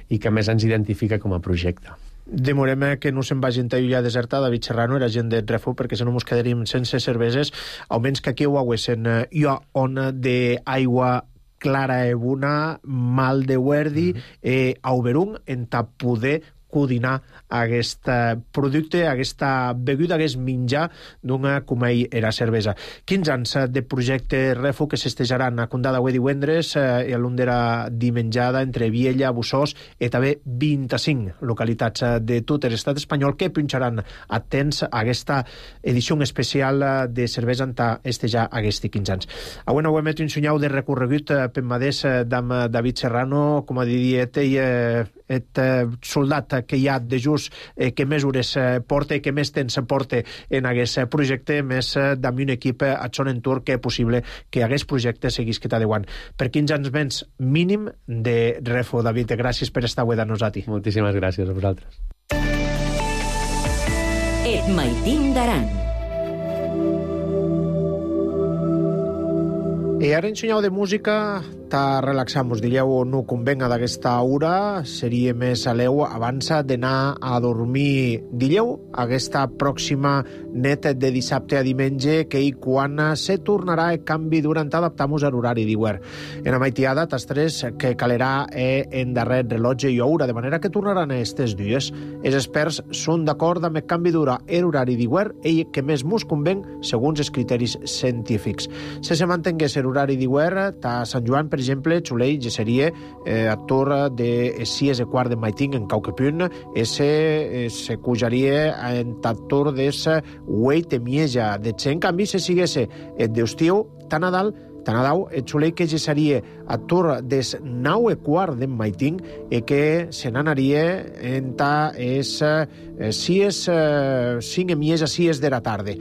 i que més ens identifica com a projecte. Demorem que no se'n vagi en illa deserta. David Serrano era gent de Refu, perquè si no mos quedaríem sense cerveses, almenys que aquí ho haguessin jo on d'aigua clara e bona, mal de huerdi, mm-hmm. eh, auberung, en ta poder coordinar aquest producte, aquesta beguda, aquest menjar d'una com ell era cervesa. quinze anys de projecte Refu que s'estejaran a Condada avui divendres i a l'Undera dimenjada entre Viella, Bussós i també vint-i-cinc localitats de tot l'estat espanyol que punxaran atents a aquesta edició especial de cervesa en estejar aquests quinze anys. Avui no ho hem fet un senyal de recorregut per madés d'am David Serrano, com a dit ell, et soldat que hi ha de just eh, que més hores eh, porta i que més temps porta en aquest projecte, més eh, d'ami un equip a son entorn que és possible que aquest projecte seguís que t'adeuant. Per quinze anys menys mínim de Refu. David, gràcies per estar avui de nosaltres. Moltíssimes gràcies a vosaltres. Et Maitín d'Aran. I ara en senyal de música ta relaxamos, diríeu, no convenga d'aquesta hora, seria més a l'eu abans d'anar a dormir. Diríeu, aquesta pròxima net de dissabte a diumenge, que i quan se tornarà el canvi durant adaptar-nos a l'horari d'hivern. En la maitiada, tastres que calerà en darrer rellotge i hora, de manera que tornaran aquests dies. Els experts són d'acord amb el canvi d'hora a l'horari d'hivern i que més mos conven segons els criteris científics. Si se mantengués l'horari d'hivern, ta Sant Joan, per exemple, Xulei ja seria eh, actor de sis e quart de Maiting en Cauquepunt, ese eh, se cujaria en actor des huit de Mieja. De en canvi, se siguesse et d'estiu, tan Nadal, tan Nadal, et Xulei que ja seria actor des nou e quart de Maiting e que se n'anaria en ta es eh, sis, eh, cinc e Mieja, sis de la tarda.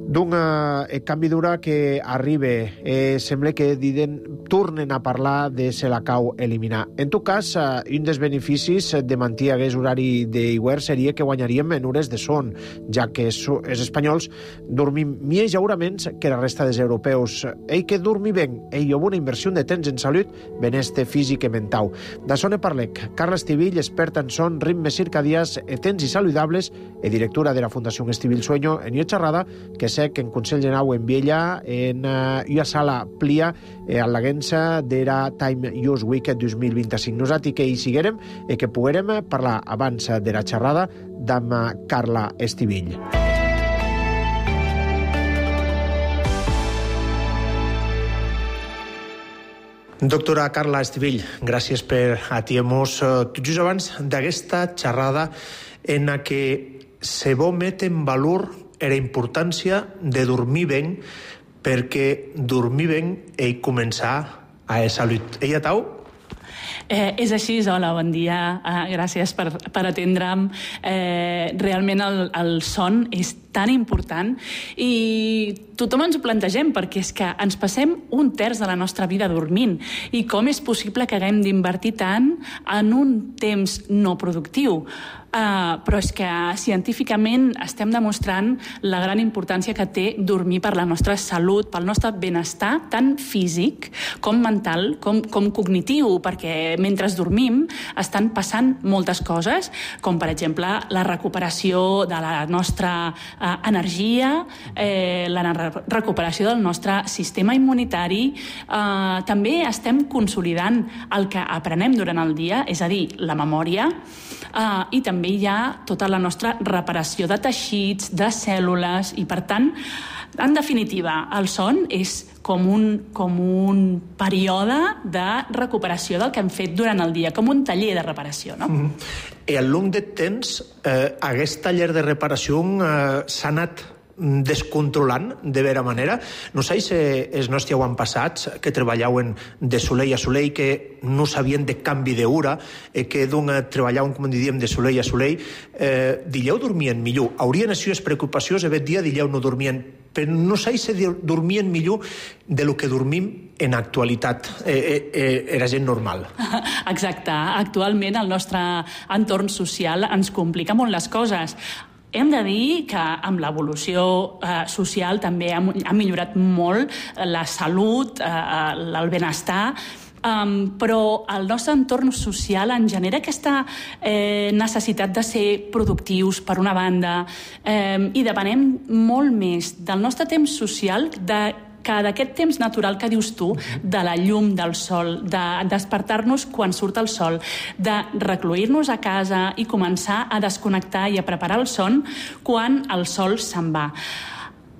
D'un eh, canvi d'hora que arriba, eh, sembla que diden, tornen a parlar de se la cau eliminar. En tot cas, eh, un dels beneficis de mantenir aquest horari d'hivern seria que guanyaríem en hores de son, ja que els espanyols dormim més llauraments que la resta dels europeus. Ell que dormi ben, ell amb una inversió de temps en salut, benestar físic i mental. De son e parlec, Carla Estivill, experta en son, ritmes circadians, temps i saludables, e directora de la Fundació Estivill Sueño, en una xerrada que que en Consell Generau en Viella en uh, una sala plia eh, a l'aguença d'era Time Use Week dos mil vint-i-cinc. Nosaltres que hi siguérem i que poguérem parlar abans de la xerrada amb Carla Estivill. Doctora Carla Estivill, gràcies per atendre-nos tot just abans d'aquesta xerrada en la que se vol met en valor la importància de dormir ben, perquè dormir ben és començar a la salut. Ella tau? Eh, és així, hola, bon dia, eh, gràcies per, per atendre'm. Eh, realment el, el son és tan important i tothom ens ho plantegem perquè és que ens passem un terç de la nostra vida dormint i com és possible que haguem d'invertir tant en un temps no productiu? Uh, però és que científicament estem demostrant la gran importància que té dormir per la nostra salut, pel nostre benestar, tant físic com mental, com, com cognitiu, perquè mentre dormim estan passant moltes coses, com per exemple la recuperació de la nostra uh, energia, eh, la recuperació del nostre sistema immunitari. Uh, també estem consolidant el que aprenem durant el dia, és a dir, la memòria, uh, i també també hi ha tota la nostra reparació de teixits, de cèl·lules, i per tant, en definitiva, el son és com un, com un període de recuperació del que hem fet durant el dia, com un taller de reparació, no? Mm-hmm. I al long de temps, eh, aquest taller de reparació eh, s'ha anat descontrolant de vera manera. No sé si els nostres avantpassats que treballaven de soleil a soleil, que no sabien de canvi d'hora, eh, que doncs treballaven, com diríem, de soleil a soleil, eh, dilleu dormien millor. Haurien les seves preocupacions, aquest dia dilleu no dormien, però no sé si dormien millor de lo que dormim en actualitat. Eh, eh, eh, era gent normal. Exacte. Actualment el nostre entorn social ens complica molt les coses. Hem de dir que amb l'evolució eh, social també ha, ha millorat molt la salut, eh, el benestar, Um, però el nostre entorn social en genera aquesta eh, necessitat de ser productius, per una banda, eh, i depenem molt més del nostre temps social, de que d'aquest temps natural que dius tu, de la llum del sol, de despertar-nos quan surt el sol, de recluir-nos a casa i començar a desconnectar i a preparar el son quan el sol se'n va.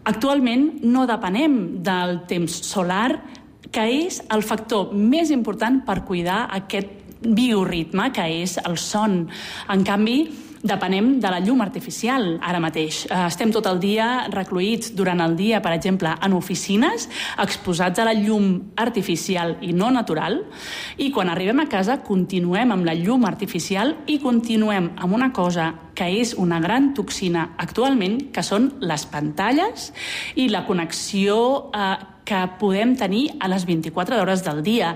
Actualment no depenem del temps solar, que és el factor més important per cuidar aquest bioritme que és el son. En canvi, depenem de la llum artificial ara mateix. Estem tot el dia recluïts durant el dia, per exemple, en oficines, exposats a la llum artificial i no natural, i quan arribem a casa continuem amb la llum artificial i continuem amb una cosa que és una gran toxina actualment, que són les pantalles i la connexió eh, que podem tenir a les vint-i-quatre hores del dia.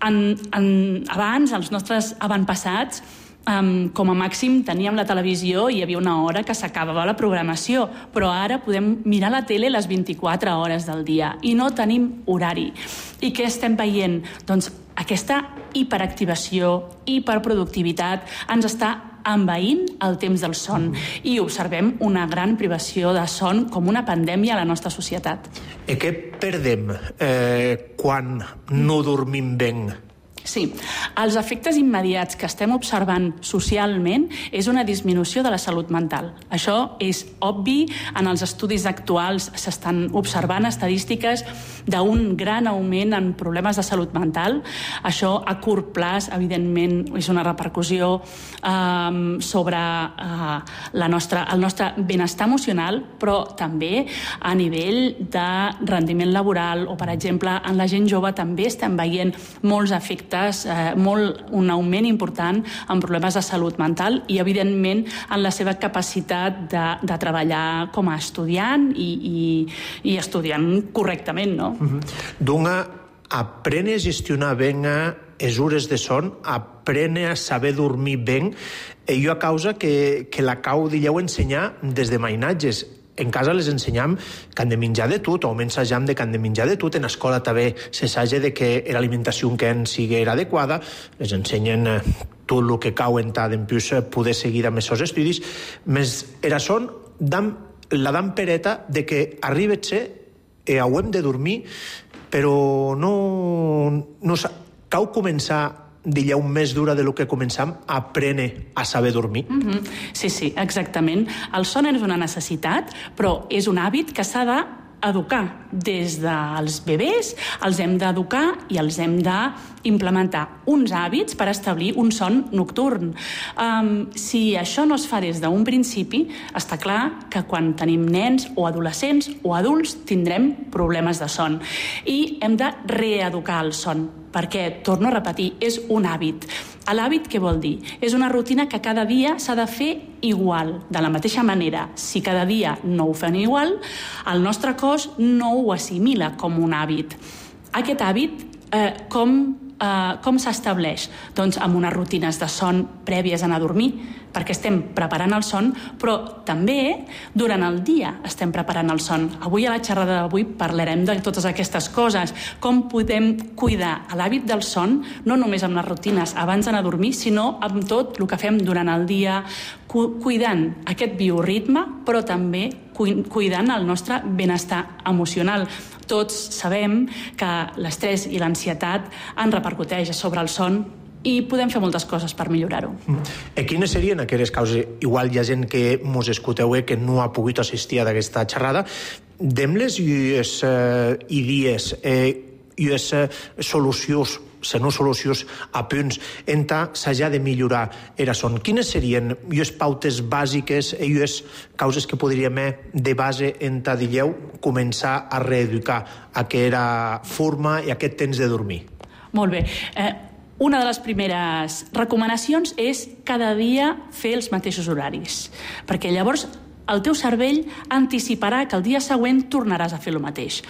En, en, abans, els nostres avantpassats, Um, com a màxim teníem la televisió i hi havia una hora que s'acabava la programació, però ara podem mirar la tele les vint-i-quatre hores del dia i no tenim horari. I què estem veient? Doncs aquesta hiperactivació, hiperproductivitat ens està envaint el temps del son i observem una gran privació de son com una pandèmia a la nostra societat. I què perdem eh, quan no dormim ben? Sí, els efectes immediats que estem observant socialment és una disminució de la salut mental. Això és obvi, en els estudis actuals s'estan observant estadístiques d'un gran augment en problemes de salut mental. Això a curt plaç, evidentment, és una repercussió eh, sobre eh, la nostra, el nostre benestar emocional, però també a nivell de rendiment laboral o, per exemple, en la gent jove també estem veient molts efectes Eh, molt, un augment important en problemes de salut mental i, evidentment, en la seva capacitat de, de treballar com a estudiant i, i, i estudiant correctament, no? Mm-hmm. Doncs aprene a gestionar ben les hores de son, aprene a saber dormir ben, i jo a causa que, que la cau d'illeu ensenyar des de mainatges. En casa les ensenyam que han de menjar de tot, o almenys assajam de que han de menjar de tot. En escola també s'assaja de que l'alimentació que en sigui era adequada. Les ensenyen tot el que cau en tant en plus poder seguir amb els seus estudis. Més era son dam, la dam pereta de que arriba-se i hauem de dormir, però no, no cau començar dilleu més dura de lo que començam, aprene a saber dormir. Mm-hmm. Sí, sí, exactament. El son és una necessitat, però és un hàbit que s'ha de educar des dels bebès, els hem d'educar i els hem d'implementar uns hàbits per establir un son nocturn. Um, si això no es fa des d'un principi, està clar que quan tenim nens o adolescents o adults tindrem problemes de son. I hem de reeducar el son, perquè, torno a repetir, és un hàbit. L'hàbit què vol dir? És una rutina que cada dia s'ha de fer igual. De la mateixa manera, si cada dia no ho fem igual, el nostre cos no ho assimila com un hàbit. Aquest hàbit, eh, com, eh, com s'estableix? Doncs amb unes rutines de son prèvies a anar a dormir, perquè estem preparant el son, però també durant el dia estem preparant el son. Avui, a la xerrada d'avui, parlarem de totes aquestes coses, com podem cuidar l'hàbit del son, no només amb les rutines abans d'anar a dormir, sinó amb tot el que fem durant el dia, cu cuidant aquest bioritme, però també cu cuidant el nostre benestar emocional. Tots sabem que l'estrès i l'ansietat en repercuteix sobre el son i podem fer moltes coses per millorar-ho. I quines serien aquelles causes? Igual hi ha gent que mos escolteu que no ha pogut assistir a aquesta xerrada. Dem-les i les eh, idees eh, i les eh, solucions, se no solucions a punts en què s'ha de millorar era son. Quines serien les pautes bàsiques i les causes que podríem de base en què dieu començar a reeducar aquesta forma i aquest temps de dormir? Molt bé. Eh, Una de les primeres recomanacions és cada dia fer els mateixos horaris, perquè llavors el teu cervell anticiparà que el dia següent tornaràs a fer el mateix.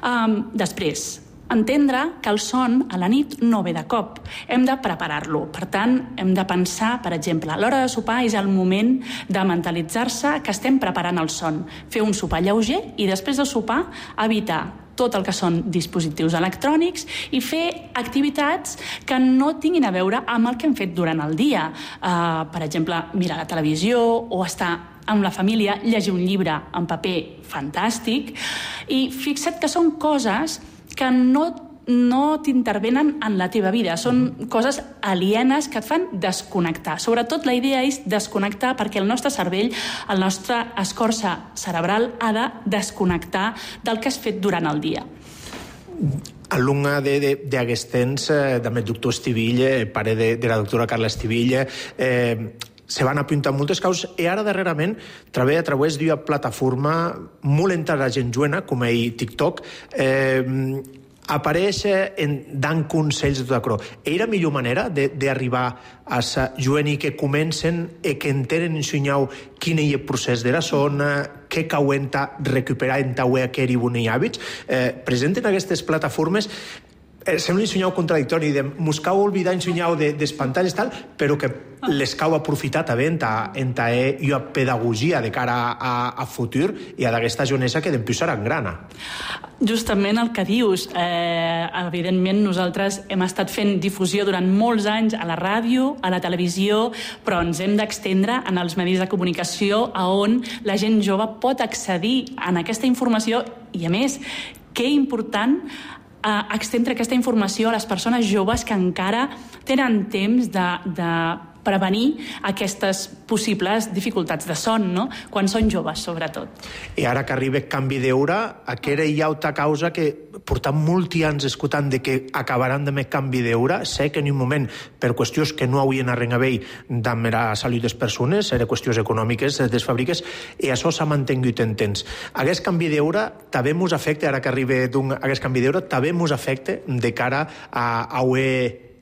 Um, després, entendre que el son a la nit no ve de cop. Hem de preparar-lo. Per tant, hem de pensar, per exemple, a l'hora de sopar és el moment de mentalitzar-se que estem preparant el son. Fer un sopar lleuger i després de sopar evitar tot el que són dispositius electrònics i fer activitats que no tinguin a veure amb el que hem fet durant el dia. Uh, per exemple, mirar la televisió o estar amb la família, llegir un llibre en paper fantàstic. I fixa't que són coses que no, no t'intervenen en la teva vida. Són coses alienes que et fan desconnectar. Sobretot la idea és desconnectar perquè el nostre cervell, el nostre escorça cerebral ha de desconnectar del que has fet durant el dia. Alumne d'aquest temps, també el doctor Estivilla, pare de, de la doctora Carla Estivilla, eh, se van apuntar moltes causes i ara darrerament treballa a través d'una plataforma molt intel·ligent joana, com ell TikTok, eh, apareix en, dant consells de tot això. Era la millor manera d'arribar a la joan i que comencen i que entenen ensenyau quin és el procés de la zona, què cauen ta recuperar en ta wea que eri bons hàbits. Eh, presenten aquestes plataformes Eh, sembla ensenyar contradictori, de mos cau oblidar ensenyar de, des pantalles tal, però que les cau aprofitar també en ta, en ta eh, i a pedagogia de cara a, a futur i a d'aquesta jonesa que d'empius serà grana. Justament el que dius. Eh, evidentment, nosaltres hem estat fent difusió durant molts anys a la ràdio, a la televisió, però ens hem d'extendre en els medis de comunicació a on la gent jove pot accedir a aquesta informació i, a més, que important a extendre aquesta informació a les persones joves que encara tenen temps de, de prevenir aquestes possibles dificultats de son, no? Quan són joves, sobretot. I ara que arriba canvi d'hora, aquesta hi ha una causa que portem molts anys escoltant de que acabaran de més canvi d'hora. Sé que en un moment, per qüestions que no haurien a veure amb la salut de les persones, eren qüestions econòmiques de les fàbriques, i això s'ha mantingut en temps. Aquest canvi d'hora també ens afecta, ara que arriba aquest canvi d'hora, també ens afecta de cara a, a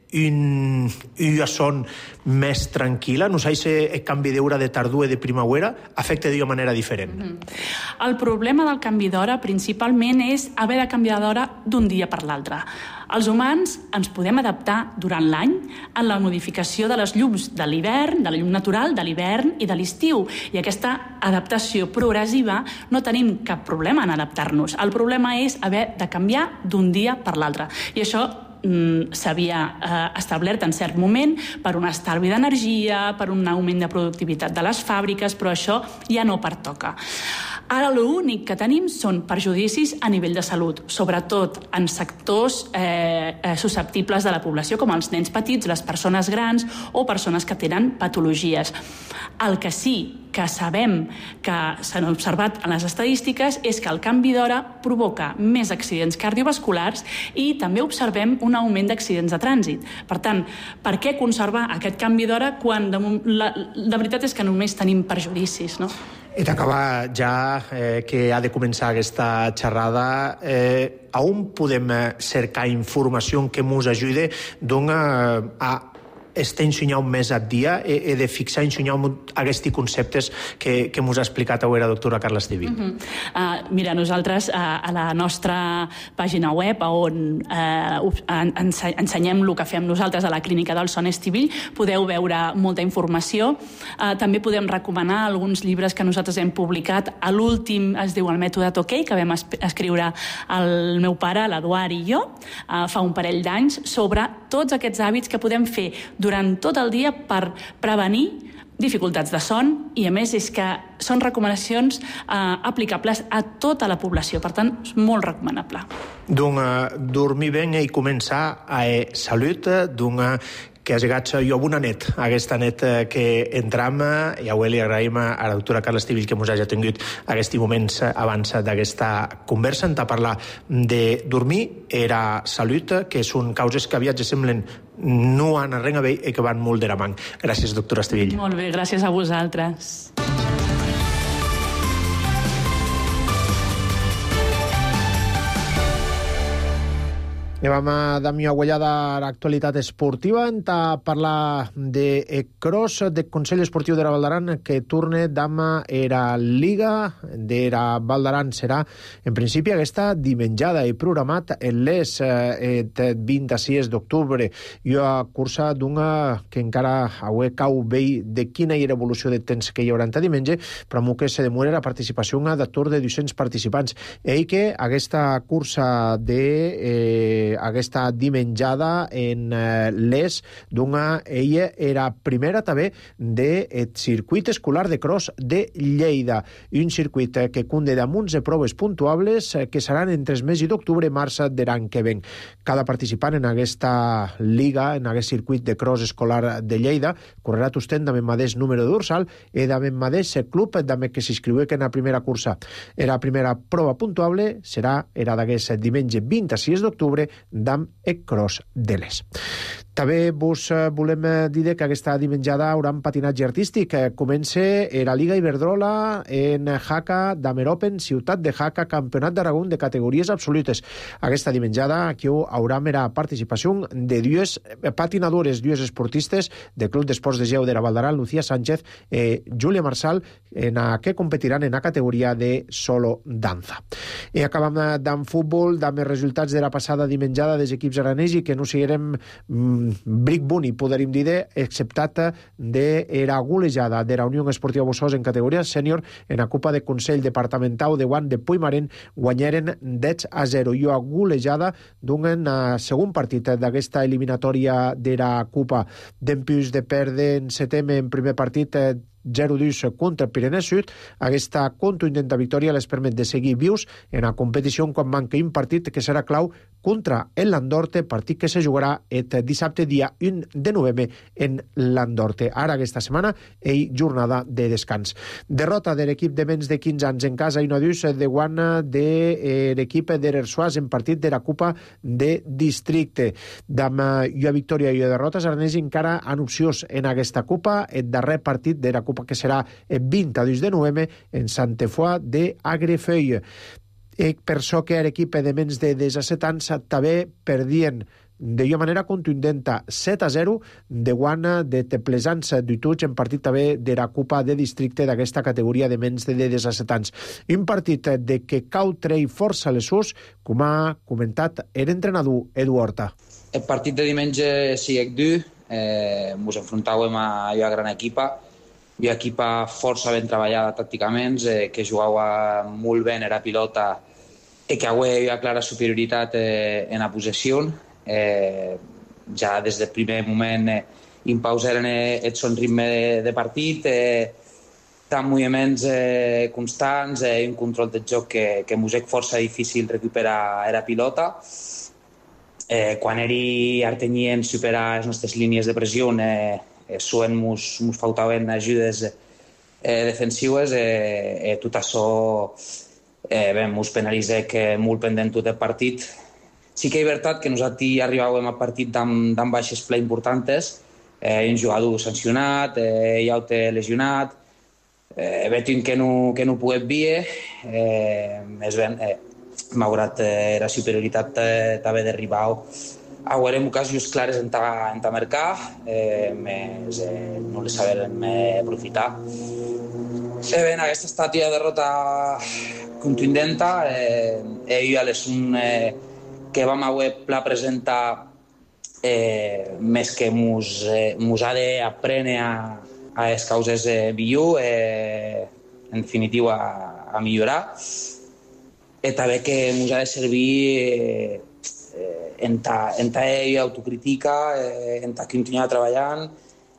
un, una son més tranquil·la. No sé si el canvi d'hora de tardor i de primavera afecta d'una manera diferent. Mm-hmm. El problema del canvi d'hora principalment és haver de canviar d'hora d'un dia per l'altre. Els humans ens podem adaptar durant l'any en la modificació de les llums de l'hivern, de la llum natural, de l'hivern i de l'estiu. I aquesta adaptació progressiva no tenim cap problema en adaptar-nos. El problema és haver de canviar d'un dia per l'altre. I això s'havia eh, establert en cert moment per un estalvi d'energia, per un augment de productivitat de les fàbriques, però això ja no pertoca. Ara l'únic que tenim són perjudicis a nivell de salut, sobretot en sectors eh, susceptibles de la població, com els nens petits, les persones grans o persones que tenen patologies. El que sí que sabem que s'han observat en les estadístiques és que el canvi d'hora provoca més accidents cardiovasculars i també observem un augment d'accidents de trànsit. Per tant, per què conservar aquest canvi d'hora quan de, la, la veritat és que només tenim perjudicis, no? I t'acaba ja eh, que ha de començar aquesta xerrada. Eh, a on podem cercar informació que ens ajude doncs, a estar ensenyant més a dia i e, e de fixar ensenyant aquests conceptes que, que ens ha explicat avui la doctora Carla Estivill. Uh -huh. uh, mira, nosaltres uh, a la nostra pàgina web on uh, ense ensenyem el que fem nosaltres a la Clínica del Son Estivill, podeu veure molta informació. Uh, també podem recomanar alguns llibres que nosaltres hem publicat. A l'últim es diu El mètode Tokay, que vam es escriure el meu pare, l'Eduard i jo, uh, fa un parell d'anys, sobre tots aquests hàbits que podem fer durant tot el dia per prevenir dificultats de son i, a més, és que són recomanacions eh, aplicables a tota la població. Per tant, és molt recomanable. Doncs uh, dormir bé i començar a eh, salut, doncs que has llegat jo amb una net, aquesta net que entram, i avui li agraïm a la doctora Carla Estivill que ens hagi tingut aquests moments abans d'aquesta conversa en parlar de dormir, era salut, que són causes que aviat semblen no anar res bé i que van molt de la mà. Gràcies, doctora Estivill. Molt bé, gràcies a vosaltres. I vam a dar una ullada a l'actualitat esportiva en a parlar de cross, de Consell Esportiu de la Val d'Aran, que torna d'ama era Liga de la Val d'Aran. Serà, en principi, aquesta dimenjada i programat en les eh, vint-i-sis d'octubre. I una cursa d'una que encara avui cau bé de quina era evolució de temps que hi haurà entre diumenge, però amb que se demora la participació una d'atur de dos-cents participants. I que aquesta cursa de... Eh, aquesta dimenjada en eh, les d'una, ella era primera també del circuit escolar de cross de Lleida, un circuit eh, que conté damunt de proves puntuables eh, que seran entre el mes d'octubre i març de l'any que ven. Cada participant en aquesta liga, en aquest circuit de cross escolar de Lleida, correrà tostent amb el mateix número de dorsal i amb el mateix club amb que s'inscriu en la primera cursa. La primera prova puntuable serà era d'aquest diumenge vint-i-sis d'octubre d'am el cross de les. També vos volem dir que aquesta dimenjada haurà un patinatge artístic. Comença la Liga Iberdrola en Jaca, Damer Open, Ciutat de Jaca, Campionat d'Aragó de categories absolutes. Aquesta dimenjada aquí haurà mera participació de dues patinadores, dues esportistes del Club d'Esports de Geu de la Val d'Aran, Lucía Sánchez i Júlia Marsal, en a que competiran en la categoria de solo danza. I acabam d'en futbol, amb els resultats de la passada dimenjada dels equips aranesi, que no siguem mm, bric boni, podríem dir, exceptat de la golejada de la Unió Esportiva Bossós en categoria sènior en la Copa de Consell Departamental de Guant de Puigmarén, guanyaren deu a zero. I una golejada d'un segon partit d'aquesta eliminatòria de la Copa. Dempius de perdre en setembre en primer partit zero dos contra Pirineu Sud, aquesta contundent victòria les permet de seguir vius en la competició quan manca un partit que serà clau contra el Landorte, partit que se jugarà el dissabte dia u de novembre en Landorte. Ara aquesta setmana hi jornada de descans. Derrota de l'equip de menys de quinze anys en casa i no dus de guana de l'equip d'Erersuàs en partit de la Copa de Districte. Amb una victòria i una derrota, els aranesi encara han opcions en aquesta Copa, el darrer partit de la Copa que serà el vint-i-dos de novembre en Santefoi de Agrefeuille. I per això que l'equip de menys de disset anys també perdien d'una manera contundenta set a zero de guana de Teplesans d'Utuig en partit també de la Copa de Districte d'aquesta categoria de menys de disset anys. Un partit de que cau trei força les sus, com ha comentat l'entrenador Edu Horta. El partit de diumenge siguec dur, eh, ens enfrontàvem a una gran equipa, una equipa força ben treballada tàcticament, eh, que jugava molt bé en la pilota i que avui hi havia clara superioritat eh, en la possessió. Eh, ja des del primer moment eh, impausaren eh, el son ritme de, de partit, eh, tant moviments eh, constants i eh, un control del joc que, que mos és força difícil recuperar la pilota. Eh, quan eri artenyent superar les nostres línies de pressió, eh, eh, sovint mos, mos faltaven ajudes eh, defensives, eh, eh, tot això eh, bé, mos penalitza que molt pendent tot el partit. Sí que és veritat que nosaltres arribàvem a partit amb, amb baixes ple importants, eh, un jugador sancionat, eh, i altre lesionat, eh, veiem que no, que no pogués dir, eh, més ben, eh, malgrat eh, la superioritat eh, també d'arribar a veure ocasions clares en ta, en ta mercar, eh, més eh, no les sabem eh, aprofitar. Eh, bé, aquesta ha estat una derrota contundent, eh, eh, jo a les un eh, que vam haver pla presentar eh, més que mos, eh, mos ha d'aprendre a, a les causes eh, millor, eh, en definitiva a, a millorar. I també que ens ha de servir eh, eh, en ta, en ta autocrítica, eh, en ta continuar treballant,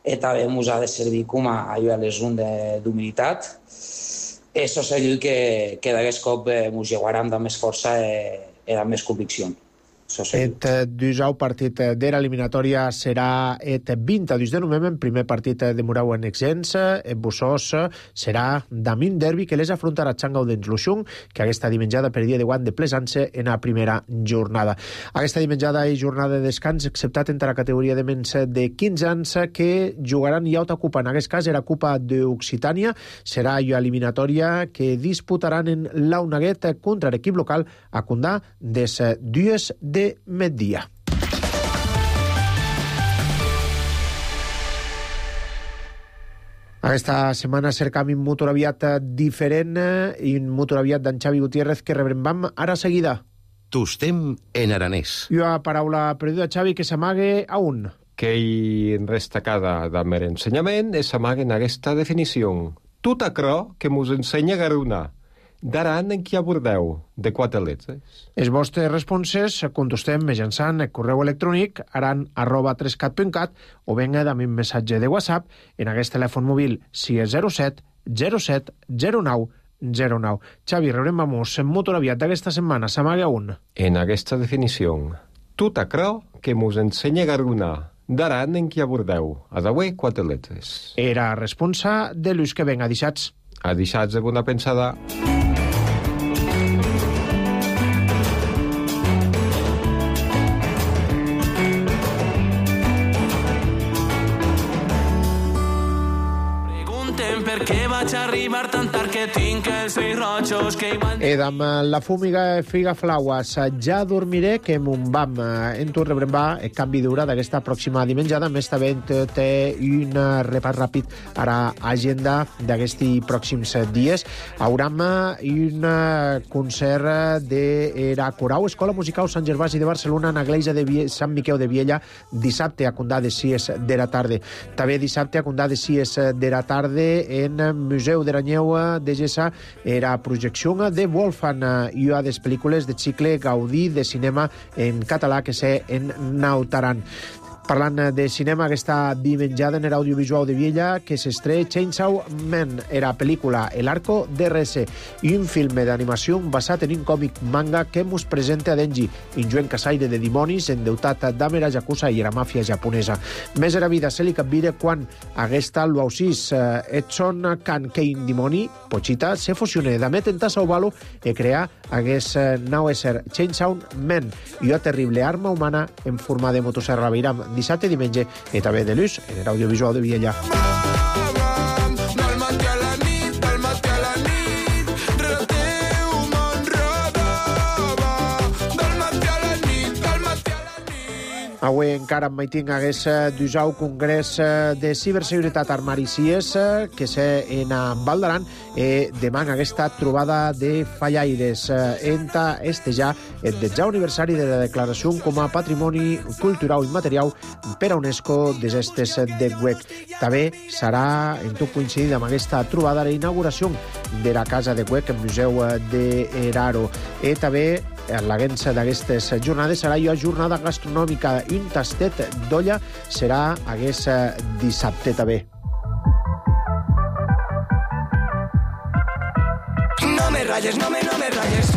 i també ens ha de servir com a allò a les un d'humilitat. I això és allò que, que d'aquest cop eh, ens llevaran amb més força eh, i amb més convicció. Et dusau partit de l'eliminatòria serà et vint a dos de novembre, primer partit de Murau en Exens, et Bussós serà damin derbi que les afrontarà Txangau d'ens Luxung, que aquesta dimenjada per dia de guant de plesança en la primera jornada. Aquesta dimenjada i jornada de descans, exceptat entre la categoria de menys de quinze anys, que jugaran i alta copa. En aquest cas era Copa d'Occitània, serà jo eliminatòria que disputaran en l'Aunaguet contra l'equip local a Condà des dues de de migdia. Aquesta setmana cercam un motoraviat diferent i un motoraviat d'en Xavi Gutiérrez que rebrem ara seguida. Tostem en aranès. I a paraula perduda, Xavi, que s'amague a un. Que hi destacada del meu ensenyament és s'amague en aquesta definició. Tot aquello que mos ensenya Garuna. D'aran en qui abordeu, de quatre letres. Els vostres responses contestem mitjançant el correu electrònic aran arroba trescat punt cat o venga amb un missatge de WhatsApp en aquest telèfon mòbil sis zero set zero set zero nou zero nou. Xavi, rebrem vamos en motoraviat d'aquesta setmana. S'amaga un. En aquesta definició, tot aquello que mos ensenya Garuna. D'aran en qui abordeu, adaué quatre letres. Era responsa de Lluís que venga, deixats. A deixats de bona pensada. Arribar tan tard que tinc els ulls rojos que igual... I amb la fúmiga figa flaues ja dormiré que mon vam en tu rebrem va el canvi d'hora d'aquesta pròxima dimenjada. Més també té un repàs ràpid a l'agenda d'aquests pròxims dies. Hauram un concert de la Corau Escola Musical Sant Gervasi de Barcelona en l'església de Vie... Sant Miquel de Viella dissabte a Condà de sis de la tarda. També dissabte a Condà de sis de la tarda en Museu de Ranyeu de Gessa era projecció de Wolfgang i a des pel·lícules de cicle Gaudí de cinema en català que sé en Nautaran. Parlant de cinema, aquesta dimenjada en l'audiovisual de Viella que s'estrena Chainsaw Man, era pel·lícula El Arco de Rese i un film d'animació basat en un còmic manga que mos presenta a Denji, un joven caçaire de dimonis endeutat d'Amera Yakuza i la màfia japonesa. Més era vida se li capvira quan aquesta l'ausis Edson Kan Kein Dimoni, Pochita, se fusiona d'Amet en Tassaubalo i crear hagués nou ésser Chainsaw Man i una terrible arma humana en forma de motosserra. Veiram dissabte i diumenge i també de l'ús en l'audiovisual de Viella. Avui encara en Maiting hagués d'usar congrés de ciberseguretat armari C I E S que sé en Val d'Aran i demà aquesta trobada de fallaires enta este ja el dètzè aniversari de la declaració com a patrimoni cultural immaterial per a UNESCO des estes de W E C. També serà en tot coincidit amb aquesta trobada la inauguració de la casa de W E C, el Museu de Eraro. I també l'agència d'aquestes jornades serà la jornada gastronòmica. Un tastet d'olla serà hagués dissabte també. rayes, no me, no me rayes.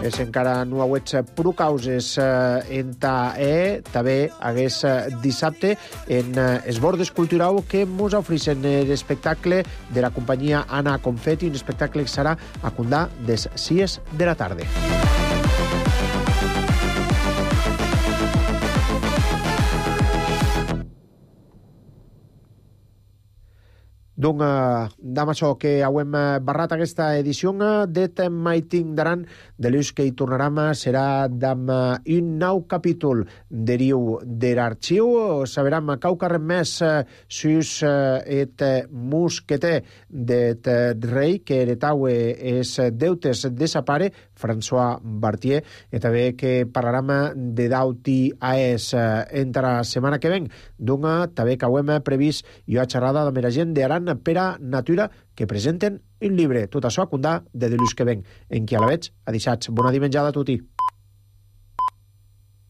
És encara no hauets pro causes eh, en ta e, també hagués eh, dissabte en eh, Esbordes Cultural que mos ofereixen l'espectacle de la companyia Anna Confetti, un espectacle que serà a Condà des sis de la tarda. Donc, amb això que hem barrat aquesta edició de Maiting d'Aran, de l'ús que hi tornarem serà amb un nou capítol deriu de l'arxiu. Saberem quaucarrem més sus et mosqueter d'et rei que heretaue es deutes de sa pare, François Bartier, i també que parlarem de dauti a es entre la setmana que ven. Donc, també que hem previst una xerrada amb la gent d'Aran per a natura que presenten un llibre. Tot això a Condà de l'ús que ven. En qui a la veig, a dissats. Bona dimenjada a tutti.